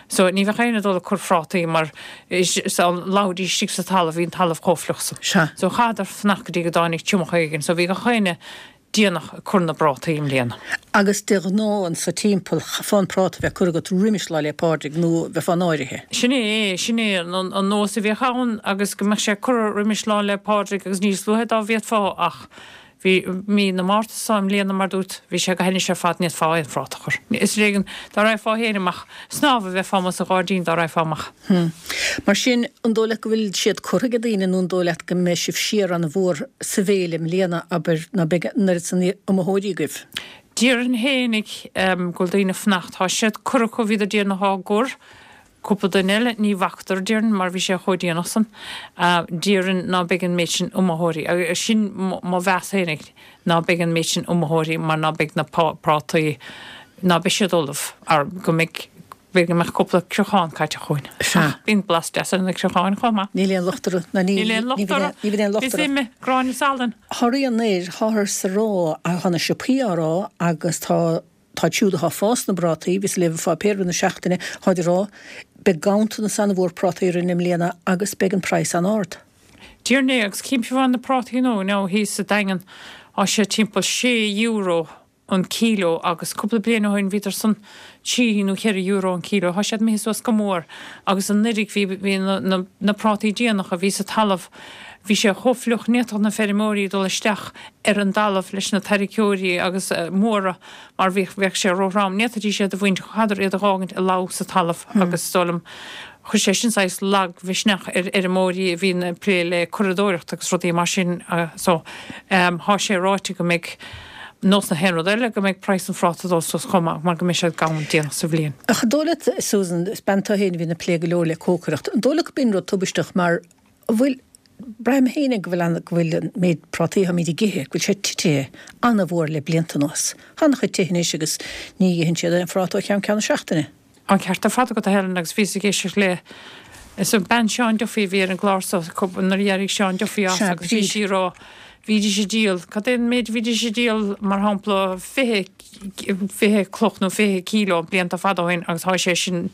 So ní bheadh éinne ag dul ag cur phrátaí mar dá leáfaidís istigh sa talamh bhí an talamh chomh fliuch san. Sea. So chaitheadar fanacht go dtí go dtáinig triomach éigin. So bhí gach éinne déanach ag cur na bprátaí i mbliana. Agus de ghnáth anso timpeall chaithfeá an práta a bheith curtha agat roimis Lá 'le Pádraig nó bheifeá náirithe. Sin é, sin é an nós a bhíodh ann agus go mbeadh sé curtha roimis Lá 'le Pádraig agus níos luaithe dá bhféadfá ach Bhí mí na Márta seo i mbliana, mar dúirt, bhí sé go hainnis ar fad, ní fhéadfá aon phráta a chur. Is ar éigean dá raghfá féin amach, snámh a bheifeá amuigh sa ghairdín dá raghfá amach. Hm. Mar sin, an dóigh leat go bhfuil siad curtha ag daoine nó an dóigh leat go mbeidh sibh siar an-mhór sa bhféile i mbliana, abair, ná beidh an oiread san iomaitheoirí agaibh? Déarfainn fhéinig go bhfuil daoine ag fanacht. Tá siad curtha acu, bhíodar déanach á gcur. Cúpla duine eile, ní bhfacadar, déarfainn, mar bhí sé chomh déanach san. Déarfainn ná beidh an méid sin iomaitheoirí, agus sin mo mheas fhéinig, ná beidh an méid sin iomaitheoirí mar ná beidh na prátaí, ná beidh siad ullamh, ar go mbeidh, b'fhéidir go mbeadh cúpla criochán caite chugainn. Sea. Ach bíonn blas deas ar na criocháin chomh maith. Níl aon locht orthu, ná níl, Níl aon locht orthu. ní bhíonn aon locht Is orthu. ime, gráinne salainn. Thar aon air, táthar sa rá, tá na siopaí á rá agus tá Táid siúd athá ag fás na bprátaí, bhíos ag léamh an pháipéar i rith na seachtaine, táid ag rá, beidh ganntanas an-mhór prátaí orainn i mbliana agus beidh an praghas an-ard. Déarfainn é, agus címse fá na prátaí nua now thíos sa Daingean, tá sé timpeall sé euro an kíló agus cúpla bliain ó shin bhíodar san trí nó cheithre euro an kíló. Tá siad imithe suas go mór agus anuiridh bhí bhí na na na prátaí déanacha a bhí sa talamh bhí sé chomh fliuch ní fhéadfadh na feirmeoirí dul isteach ar an dtalamh leis na tarraiceoirí agus móra mar bhíodh bheadh sé róthrom. Ní fhéadfaidís iad a bhaint, chaitheadar iad a dh'fhágaint ag leá sa talamh agus is dóigh liom chuir sé sin saghas lagmhisneach ar fheirmeoirí a bhíonn ag plé le curadóireacht agus rudaí mar sin so thá sé ráite go mbeidh nós na haon rud eile go mbeidh praghas an phráta ag dul suas chomh maith mar go mbeidh siad gann déanach sa bhliain. Ach an dóigh leat, Susan, is bean tú féin a bhíonn ag plé go leor le cócaireacht, an dóigh leat go b'in rud tubaisteach mar an bhfuil, braithim féin go bhfuil an, go bhfuil an méid prátaí atáimid ag ithe, go bhfuil sé titithe an-mhór le blianta anuas. Tá an-chuid tithe anois agus ní itheann siad aon phráta ó cheann ceann na seachtaine. An ceart ar fad agat a Helen agus bhíos ag éisteacht le is an bean Seán Duffy a bhí ar an gclár so nuair a d'éirigh Seán Duffy as Sea, agus bhí Bríd. sí ag rá bhídís ag díol cad é an méid a bhídís ag díol mar shampla 20 20 cloch nó 20 kíló blianta fada ó shin agus tá sé sin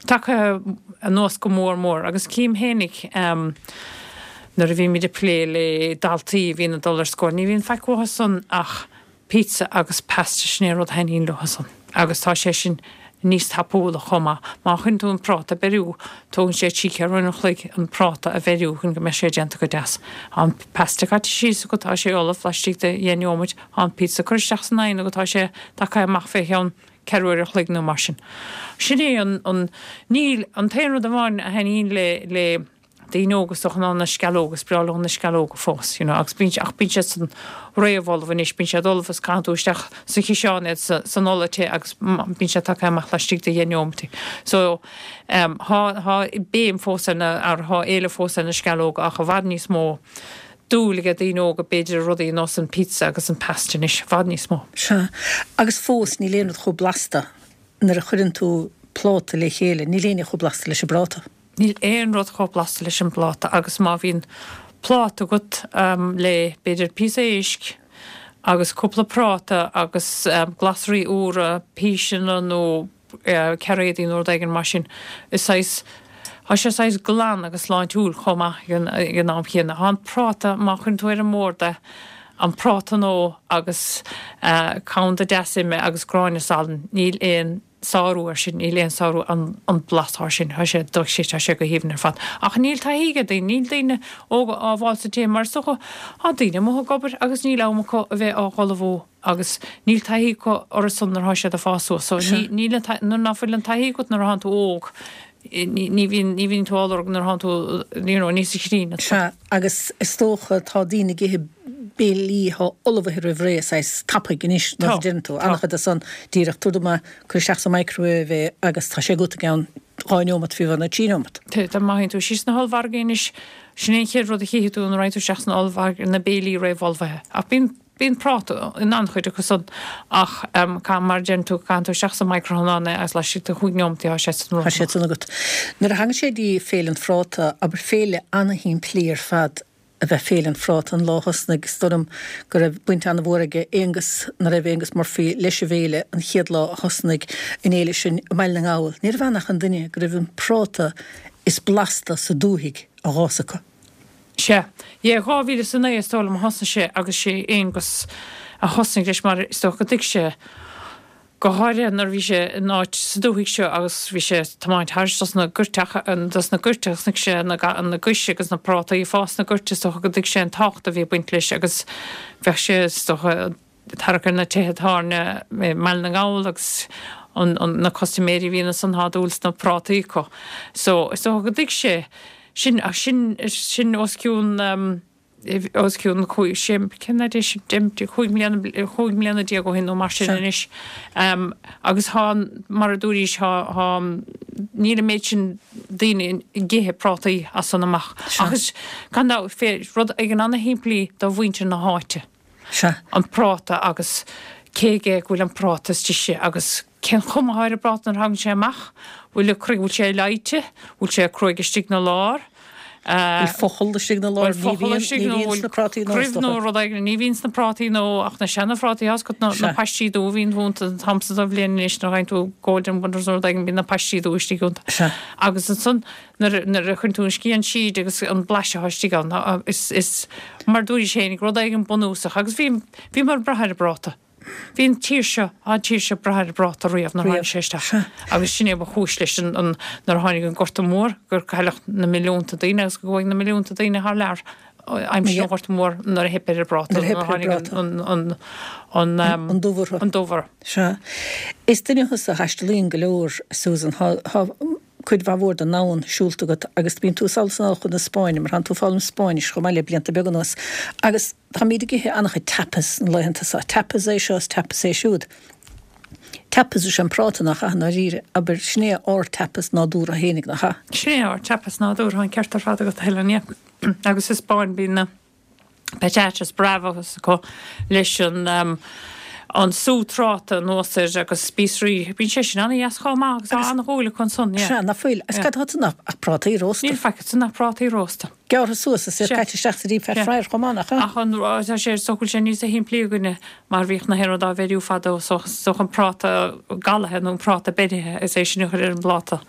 tagtha anuas go mór mór agus cím fhéinig nuair a bhímid ag plé le daltaí a bhíonn ag dul ar scoil ní bhíonn faic uathu san ach pizza agus pasta, sin é an rud a thaitníonn leo san agus tá sé sin níos tapúla chomh maith. Má chuireann tú an práta ag beiriú, tógann sé trí ceathrú uair an chloig an práta a bheiriú chun go mbeidh sé déanta go deas. Tá an pasta caite síos agat, tá sé ullamh laistigh de dheich neomat, tá an pizza curtha isteach san oigheann agat, tá sé tagtha amach fé cheann ceathrú uair an chloig nó mar sin. Sin é an, an, níl, an t-aon rud amháin a thaitníonn le, le, daoine óga is dócha ná na sceallóga, is breá leo na sceallóga fós, you know, agus bíonn, ach bíonn siad san réamh-ullamh anois, bíonn siad ullamh is caitheann tú isteach sa chiseán iad sa, san ola te agus bíonn siad tagtha amach laistigh de dheich neomat. So, em, thá, thá béim fós ar na, ar, thá éileamh fós ar na sceallóga ach i bhfad níos mó dúil ag daoine óga b'fhéidir i rudaí ar nós an pizza agus an pasta anois, i bhfad níos mó. Sea, agus fós níl aon rud chomh blasta nuair a chuireann tú pláta le chéile, níl aon ní chomh blasta leis an bpráta. Níl aon rud chomh blasta leis an bpláta agus má bhíonn pláta agat le b'fhéidir píosa éisc agus cúpla práta agus glasraí úra, píseanna nó cairéadaí nó rud éigin mar sin, is saghas, tá sé saghas glan agus sláintiúil chomh maith ag an am chéanna. Tá an práta, má chuireann tú ar an mbord é, an práta nó agus camanda deas ime agus gráinne salainn, níl aon. sárú air sin, níl aon sárú an blas air sin, tá sé dochreidte, tá sé go haoibhinn ar fad. Ach níl taithí ag daoine, níl daoine óga á bhfáil sa tithe mar is dócha, tá daoine amuigh ag obair agus níl am acu a bheith á dh'ullmhú agus níl taithí acu orthu san nuair atá siad ag fás suas. So ní, níl an taithí, nuair ná fuil an taithí agat nuair atánn tú óg, ní, ní bhíonn, ní bhíonn tú á lorg nuair atánn tú, you know, níos críonna. Sea, agus is dócha tá daoine ag ithe béilí atá ullmhaithe roimh ré, saghas tapaidh anois, mar a deireann tú, an-chuid de san díreach, tabhair dom é, cuir isteach sa microwave é agus tá sé agat i gceann 2 neomat, fiú amháin, nó 3 neomat. Tá, má théann tú síos sna hollmhargaí anois, sin é an chéad rud a chífidh tú nuair a théann tú isteach san ollmhargadh, na béilí réamhullmhaithe. Ach bíonn. Bíonn práta in an-chuid acu san ach caith, mar a deireann tú, caitheann tú isteach sa micreathonnán é agus laistigh de chúig neomataí tá sé san Tá sé san agat. Nuair a thagann sé dtí Féile an Phráta, abair féile ana-shimplí ar fad ab ea Féile an Phráta an lá a thosnaigh, is dóigh liom go raibh baint ana-mhór aige Aonghus, nuair a raibh Aonghus Murphy leis an bhféile an chéad lá a thosnaigh an fhéile sin i mBaile na nGall. Ní raibh ann ach an duine go raibh an práta is blasta sa dúthaigh á dh'fhás acu. Sea. Yeah, 2009 is dóigh liom a thosnaigh sé agus sé Aonghus a thosnaigh leis mar is dócha go dtuig sé, go háirithe nuair a bhí sé in áit sa dúthaigh seo agus bhí sé ag tiomáint thairis dos na goirteacha, dos na goirt agus chonaic sé na na gais agus na prátaí ag fás sna goirt is dócha go dtuig sé an tábhacht a bhí ag baint leis agus bheadh sé is dócha ag tarrac ar na tithe tábhairne i mBaile na nGall agus an na custaiméirí a bhíonn ansan tá dúil sna prátaí acu. So is dócha go dtuig sé sin ach sin sin os cionn os cionn sé, cén fhad é sin, 15 mbliana, 15 mbliana ó shin nó mar sin anois. Agus tá, mar a dúraís, tá, tá, níl an méid sin daoine ag ithe prátaí as san amach. Ach is, gan dabht, fé, rud éigin ana-shimplí do mhuintir na háite. An práta agus cé aige go bhfuil an práta is deise agus cén chuma atá ar an bpráta nuair a thagann sé amach, bhfuil bhfuil sé leáite, bhfuil sé cruaidh istigh 'na lár, bhfuil focal istigh 'na lár, ní bhíonn, ní bhíonn sna prátaí nó is dócha. Rud éigin, ní bhíonn sna prátaí nó ach na seana-phrátaí, tá 's agat na paistí dubha a bhíonn iontu an t-am san den bhliain anois nuair a fhaigheann tú Golden Wonders nó rud éigin bíonn na paistí dubha istigh iontu. Agus ansan nuair a chuireann tú an scian tríd agus an blaiseadh atá istigh ann, is, is, mar dúraís féinig, rud éigin bunúsach agus bhí, bhíomar ag brath ar an bpráta. Bhí an tír seo, an tír seo ag brath ar an bpráta riamh nuair a tháinig sé isteach agus sin é ba chúis leis an, an, nuair a tháinig an Gorta Mór gur cailleadh na milliúnta daoine agus go gcuaigh na milliúnta daoine thar lear aimsir an Ghorta Mhóir nuair a theip ar an bpráta, nuair a tháinig an, an, an, an, an dubh orthu. An dubh orthu. Sea. Is duine thusa a thaistealaíonn go leor, Susan. Tá, tá cuid mhaith mhór den domhan siúlta agat agus bíonn tú sall is anall chun na Spáinne mar tánn tú ag foghlaim Spáinnis chomh maith le blianta beaga anuas agus táimíd ag ithe an-chuid tapas na laethanta seo. Tapas é seo is tapas é siúd. Tapas is ea an práta nach ea i ndáiríre? Abair, sin é ár tapas nádúrtha fhéinig, nach ea? Sin é ár tapas nádúrtha, an ceart ar fad agat a Helen, yeah. Agus sa Spáinn bíonn na patatas bravas acu leis an an sú tráta anuas air agus spíosraí. Bíonn sé sin an-dheas chomh maith agus tá an-dhúil acu ansan, yeah. Sea, nach bhfuil? Agus cad atá ansan ach prátaí rósta? Níl faic ansan ach prátaí rósta. Gearrtha suas is iad caite isteach sa deep fat fryer chomh maith, nach ea? Ach an, tá sé, is dócha go bhfuil sé níosa shimplí againne mar bhíodh na haon rud á bheiriú fadó so is dócha an práta galaithe nó an práta beirithe is é sin a chur ar an bpláta.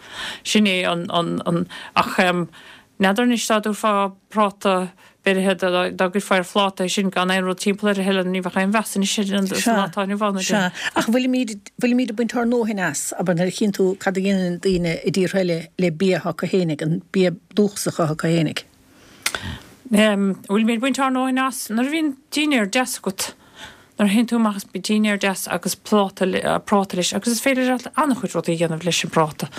Sin é an, an, an, ach n'fheadar anois dá dtabharfá práta beirithe dá gcuirfeá ar phláta é sin gan aon rud timpeall air a Helen, ní bheadh aon mheas anois air sa lá atá inniu ann. Sea, ach bhfuilimíd, bhfuilimíd ag baint ár ndóthain as, abair, nuair a chíonn tú cad a dhéanann daoine i dtíortha eile le bia atá acu fhéinig, an bia dúchasach atá acu fhéinig? Bhfuilimíd ag baint ár ndóthain as? Nuair a bhíonn dinnéar deas agat, nuair a théann tú amach is dinnéar deas agus pláta, práta leis, agus is féidir leat an-chuid rudaí a dhéanamh leis an bpráta.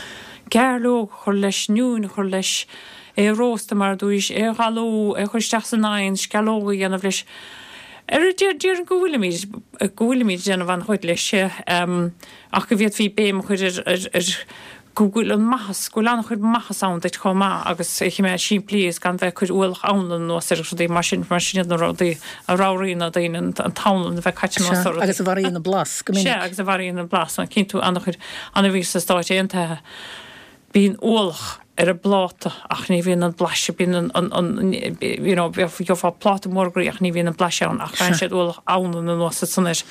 Gairleog a chur leis, oinniún a chur leis, é a róstadh mar a dúraís, é a ghalú, é a chur isteach san oigheann, sceallóga a dhéanamh leis. Ar déarfainn go bhfuilimid, go bhfuilimid ag déanamh an-chuid leis, ach go bhféadfaí béim a chur ar, ar, ar go bhfuil an maitheas, go bhfuil an-chuid maitheas ann duit chomh maith agus é a choimeád simplí agus gan bheith ag cur ualach anlann anuas air agus rudaí mar sin, mar sin iad na rudaí a ramhraíonn na daoine, an t-anlann a bheith caite anuas ar rudaí. Sea, agus a mharaíonn an blas go minic. Sea, agus a mharaíonn an blas. Cíonn tú an-chuid, an-bhí sna Stáit Aontaithe, bíonn ualach ar an bpláta ach ní bhíonn an blaiseadh, bíonn an, an, an, you know, gheofá pláta mór groí ach ní bhíonn an blaiseadh ann ach caitheann siad ualach anlann anuas ansan air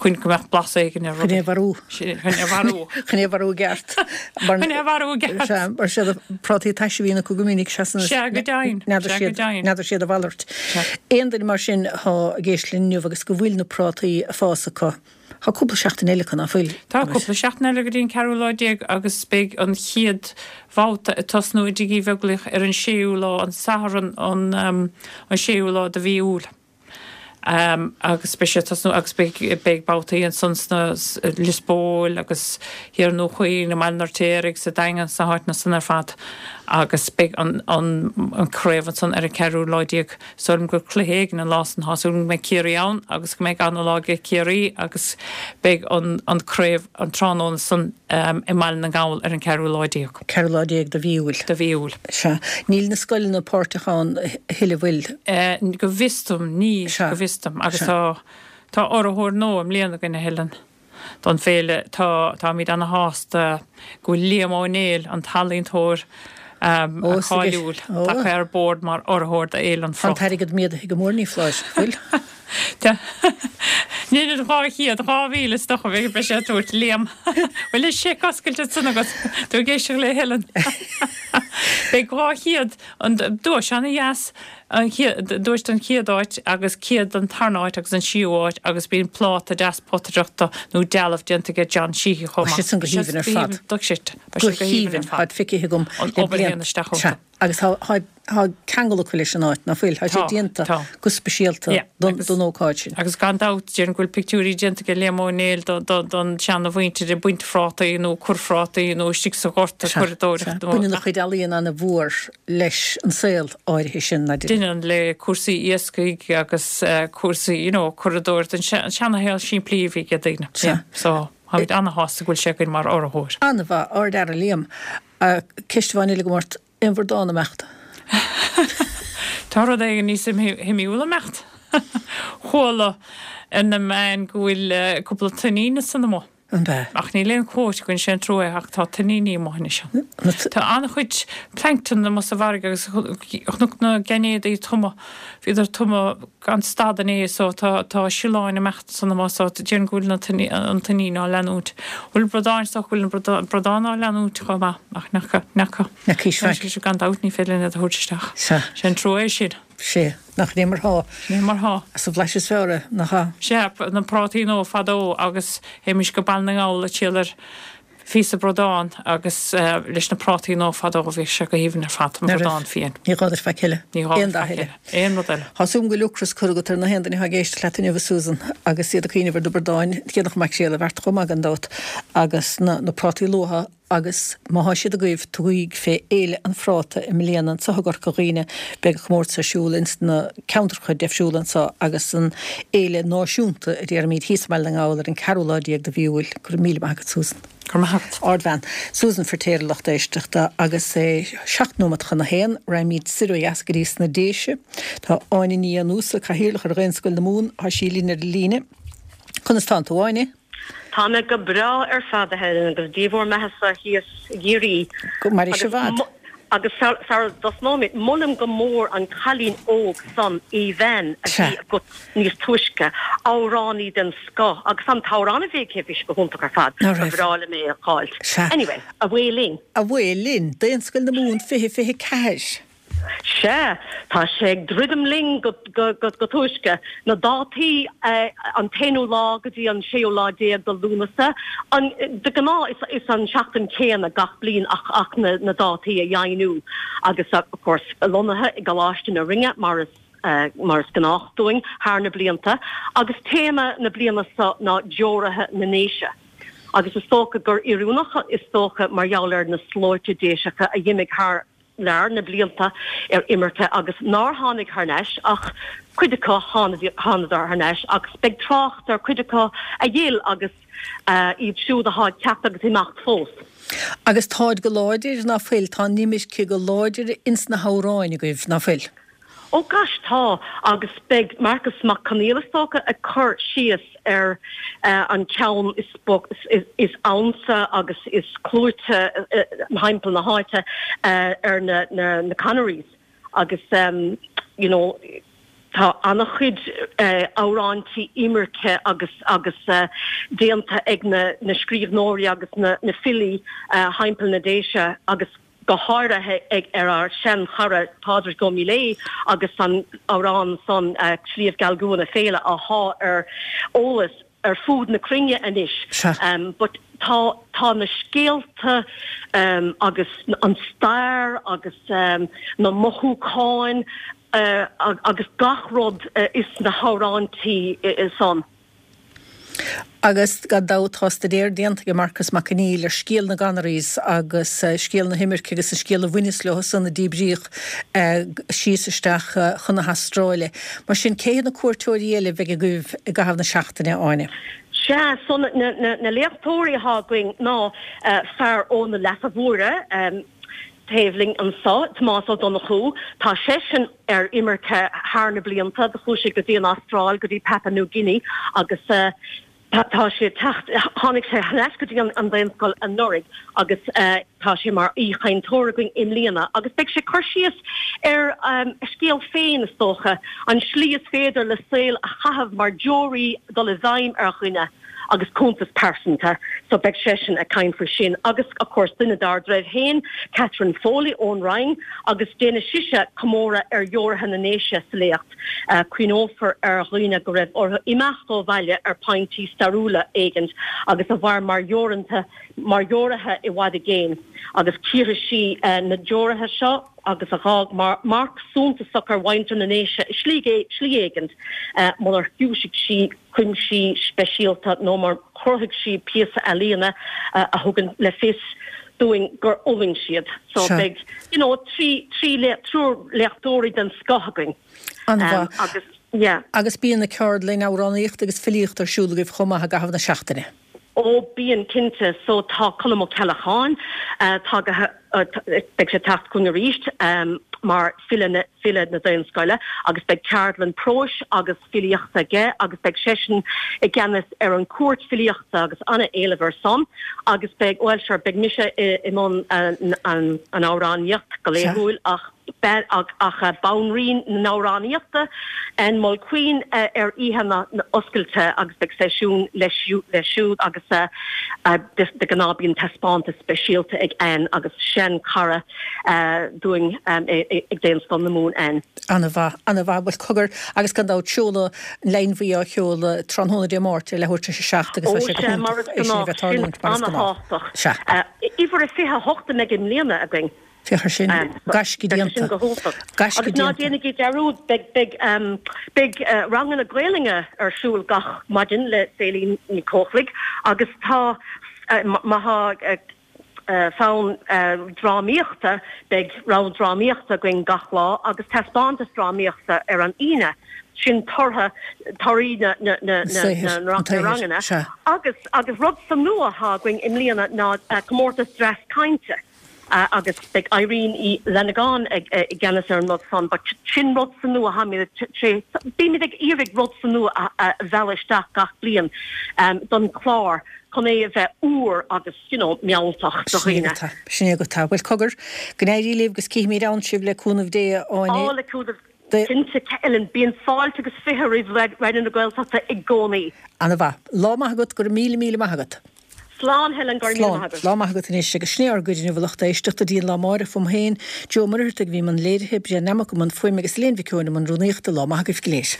chun go mbeadh blas éigin ar rudaí. Chun é a mharú. Chun é a mharú. Chun é a mharú i gceart. Chun é a mharú i gceart. Sea, mar siad prátaí taise a bhíonn acu go minic, seasann Sea, go deimhin. N'fheadar siad, n'fheadar siad a mhalairt. Aon duine mar sin atá ag éisteacht linn inniu agus go bhfuil na prátaí ag fás acu, Tá cúpla seachtain eile acu, ná fuil? Tá cúpla seachtain eile go dtí an ceathrú lá déag agus beidh an chéad bhabhta ag tosnú i dTigh Uí Bheaglaoich ar an séú lá, an Satharn an séú lá de mhí Iúil. Agus beidh sé ag tosnú agus beidh beidh babhtaí ansan sna Lios Póil agus thiar i nDún Chaoin, i mBaile an Fheirtéaraigh, sa Daingean, sna háiteanna san ar fad. Agus beidh an an craobh ansan ar an ceathrú lá déag. Is dóigh liom gur cluiche éigin an lá san. Tá súil agam go mbeidh Ciarraí ann agus go mbeidh ana-lá ag Ciarraí agus beidh an an craobh an tráthnóna san i mBaile na nGall ar an ceathrú lá déag. Ceathrú lá déag de mhí Iúil. De mhí Iúil. Sea. Níl na scoileanna páirteach ann a thuilleadh, bhfuil? Go bhfios dom, níl, go bhfios dom. Agus tá tá urraitheoir nua i mbliana againn, a Helen. don bhféile. Tá, táimid ana-shásta go bhfuil Liam Ó Néill, an t-ealaíontóir cáiliúil, tagtha ar bord mar urraitheoir do Fhéile an Tá an Phráta. t-airgead méadaithe go mór, ní foláir, bhfuil? Tá. Níl an 200, 2000 is dócha, beidh sé ag tabhairt, Liam. Bhfuil an seic oscailte ansan agat? Tú ag éisteacht le Helen. Beidh 200, an duais ana-dheas. An duais don chéad áit agus 100 don tarna áit agus an séú áit agus bíonn pláta deas potaireachta nó dealbh déanta aige John Sheehy chomh maith. Tá siad san go haoibhinn ar fad. Tá siad go haoibhinn ar fad. Táid feicthe agam le blianta. Sea. Agus tá tá ceangal acu leis an áit, ná fuil? Tá siad déanta go speisialta don ócáid sin. Agus gan dabht, déarfainn go bhfuil pictiúirí déanta aige Liam Ó Néill don seana-mhuintir ag baint phrátaí nó ag cur phrátaí nó istigh sa ghort ag curadóireacht. Baineann a chuid ealaíon ana-mhór leis an saol áirithe sin, ná deineann? Deineann, le cúrsaí iascaigh agus cúrsaí, you know, curadóireacht, an seana-shaol simplí a bhí ag daoine. Sea. So, táimid ana-shásta go bhfuil sé againn mar urraitheoir. An-mhaith, ardfhear é Liam. Ceist amháin eile agam ort, aon bhradán ag imeacht? Tá rud éigin níos suimiúla ag imeacht. Chuala ar na meáin go bhfuil cúpla tuinnín ansan amuigh. An ea? Ach níl aon chuóta againn, sé an trua é, ach tá tuinníní amuigh anois. Tá an-chuid plankton amuigh sa bhfarraige agus chonac na gainéadaí ag tumadh, bhíodar ag tumadh gan stad inné so tá tá sileáin ag imeacht ansan amuigh so déarfainn go bhfuil na an tuinnín á leanúint. Bhfuil bradáin, is dócha go bhfuil na bradáin á leanúint chomh maith ach n'fheaca, n'fheaca. N'fheacaís faic. Gan dabht ní féidir linn iad a thabhairt isteach. Sea. Sé an trua é sin. Sea, nach é mar thá. Sin é mar thá. As an bhlaiseadh is fearr é, nach ea? Sea, na prátaí nua fadó agus théimis go Baile na nGall ag triall ar phíosa bradán agus leis na prátaí nua fadó bhíodh sé go haoibhinn ar fad, an bradán fiáin. Ní gá duit faic eile. Ní gá duit faic eile. Aon rud eile. Tá súil agam go bhfuil ocras curtha agat ar na haon duine atá ag éisteacht leat inniu, a Susan, agus iad ag cuimhneamh ar na bradáin, céanna maicréal a bheart chomh maith gan dabht, agus na prátaí luatha. Agus má thá siad agaibh, tugaíg fé Fhéile an Phráta i mbliana anso i gCorca Dhuibhne. Beidh an comórtas ar siúl ins na ceantracha deifriúla anso agus an fhéile náisiúnta, a déarfaimíd, thíos i mBaile na nGall ar an ceathrú lá déag de mhí Iúil. Go raibh míle maith agat, Susan. Go raibh maith agat. Ardbhean. Susan Firtéar a lucht éisteachta. Agus é seacht nóimeat chun a haon, raghaimíd soir ó dheas go dtí sna Déise. Tá Áine Ní Fhiannúsa, Cathaoirleach ar Dhaonscoil na Mumhan, thá sí linn ar an líne. Conas tánn tú, Áine? Tá mé go breá ar fad, a Helen, agus Dia bhur mbeathasa thíos i gCiarraí. Go maire sibh i bhfad. Agus sara dtosnóimid, molaim go mór an cailín óg san, Aoibheann, a bhí agat níos túisce, amhránaí den scoth, agus an t-amhrán a bhí aici, bhí sé go hiontach ar fad, ba bhreá liom é a fháilt. Anyway, away linn. Away linn, Daonscoil na Mumhan 2024. Sea, tá sé ag druidim linn go túisce. Na dátaí, an t-aonú lá go dtí an séú lá déag de Lúnasa. De ghnáth is an seachtain céanna gach bliain ach na dátaí a dheimhniú. Agus of course lonnaithe i gColáiste na Rinne mar is mar is gnách dúinn thar na blianta. Agus téama na bliana seo ná Deoraithe na nDéise. Agus is dócha gur oiriúnach is dócha mar gheall ar na slóite Déiseacha a d'imigh thar lear na blianta ar imirce agus nár tháinig thar n-ais ach cuid acu thánadar thar n-ais agus beidh trácht ar cuid acu a d'fhill agus iad siúd athá ag teacht agus imeacht fós. Agus táid go láidir, ná fuil? Tá an imirce go láidir ins na hamhráin agaibh, ná fuil? Ó gosh tá, agus beidh Marcus Mac Conghail is dócha ag cur síos ar an ceann is ansa agus is clúite thimpeall na háite ar na Connerys agus you know tá an-chuid amhráintí imirce agus agus déanta ag na scríbhneoirí agus na filí thimpeall na Déise agus go háirithe ag ar ár sean-chara Pádraig Ó Miléadha agus an amhrán san Sliabh Geal Gcuan a Féile athá ar eolas ar fud na cruinne anois. But tá tá na scéalta agus an stair agus na mothúcháin agus gach rud is na hamhráintí san. Agus gan dabht tá staidéar déanta ag Marcas Mac Conghail ar scéal na gConnerys agus scéal na himirce agus an scéal a bhaineas leo san a díbríodh síos isteach chun na hAstráile. Mar sin, cé hiad na cuairteoirí eile a bheidh agaibh i gcaitheamh na seachtaine, a Áine? Sea, so na léachtóirí atá againn ná fear ó na Leasa Mhóire, taobh linn anso, Tomás Ó Donnchú. Tá seisean ar imirce thar na blianta. Do chuaigh sé go dtí an Astráil, go dtí Papua New Guinea agus tá sé ag teacht, tháinig sé thar n-ais go dtí an Daonscoil anuraidh agus tá sé mar aoichainteoir againn i mbliana agus beidh sé ag cur síos ar a scéal féin, is dócha, an slí is féidir le saol a chaitheamh mar deoraí dul i bhfeidhm ar dhuine. agus cuntas pearsanta so beidh seisean ag caint faoi sin agus of course duine dár dtreibh féin, Catherine Foley ón Rinn agus déanfaidh sise comóradh ar dheoraithe na nDéise sa léacht. Cuimhneofar ar dhaoine go raibh orthu imeacht ó bhaile ar pointí stairiúla éigint agus a mhair mar dheoranta mar dheoraithe i bhfad i gcéin agus cíorfaidh sí na deoraithe seo agus a dh'fhág marc suntasach ar mhuintir na nDéise i slí éigint munar chiúisigh sí cuinsí speisialta nó mar chruthaigh sí píosa ealaíona a thugann le fios dúinn gur fhulaing siad. So beidh you know trí trí triúr léachtóirí den scoth againn. An-mhaith. Agus yeah. Agus bíonn na ceardlainn amhránaíochta agus filíochta ar siúl agaibh chomh maith i gcaitheamh na seachtaine. Ó bíonn cinnte. So tá Colm Ó Ceallacháin tagaithe, beidh sé ag teacht chugainn arís mar file na, file na Daonscoile agus beidh ceardlann próis agus filíochta aige agus beidh seisean i gceannas ar an cuairt filíochta agus an-éileamh ar san agus beidh, bhuel sure, beidh mise i mbun an amhránaíocht go laethúil ach ach banríon na n-amhránaíochta, Ann Mulqueen, ar oíche na oscailte agus beidh seisiún leis siúd agus de ghnáth bíonn taispeántas speisialta ag Ann agus sean-chara dúinn ag Daonscoil na Mumhan, Ann. Ana-mhaith, ana-mhaith. Bhuel, cogar, agus gan dabht seoladh an Leidhin Bhuí á sheoladh tráthnóna Dé Máirt ar leathuair tar éis a 7 agus tá sé go hiontach é sin a bheith ag tarlúint mar is gnách. Sea. Uimhir a 28 a mbeidh i mbliana againn. Féach ar sin. Gaisce déanta. Gaisce déanta. Agus ná déanaigí dearúd, beidh, beidh, beidh ranganna Gaelainne ar siúl gach maidin le Céline Ní Chochlaigh agus tá, má tá fonn drámaíochta, beidh rang drámaíochta againn gach lá agus taispeántas drámaíochta ar an Aoine. Sin tortha, torthaí na, na, na, na, na ranganna. Agus, agus rud sa nua atá againn i mbliana ná comórtas dreas cainte. agus beidh Irene Uí Fhlannagáin i gceannas ar an rud san but sin rud sa nua táimid tar bímid ag iarraidh rud sa nua a mhealladh isteach gach bliain don chlár chun é a bheith úr agus you know mealltach do dhaoine. Sin é agat é. Bhuel cogar, go n-éirí libh agus cífimid ann sibh le cúnamh Dé, a Áine. Á le cúnamh Cinnte, Helen, bíonn fáilte agus 20 roimh Raidió na Gaeltachta i gcónaí. Ana mhaith. Lá maith agat, go raibh míle míle maith agat. Slán Helen, go raibh míle maith agat. Lá maith agat anois agus sin é ár gcuid inniu a lucht éisteachta dtí an lá amáireach fúm féin, Joe Ó Muircheartaigh a bhí i mbun léirithe, Brian Nammock i mbun fuaime agus Elaine Mhic Eoin i mbun rúnaíochta. Lá maith agaibh go léir.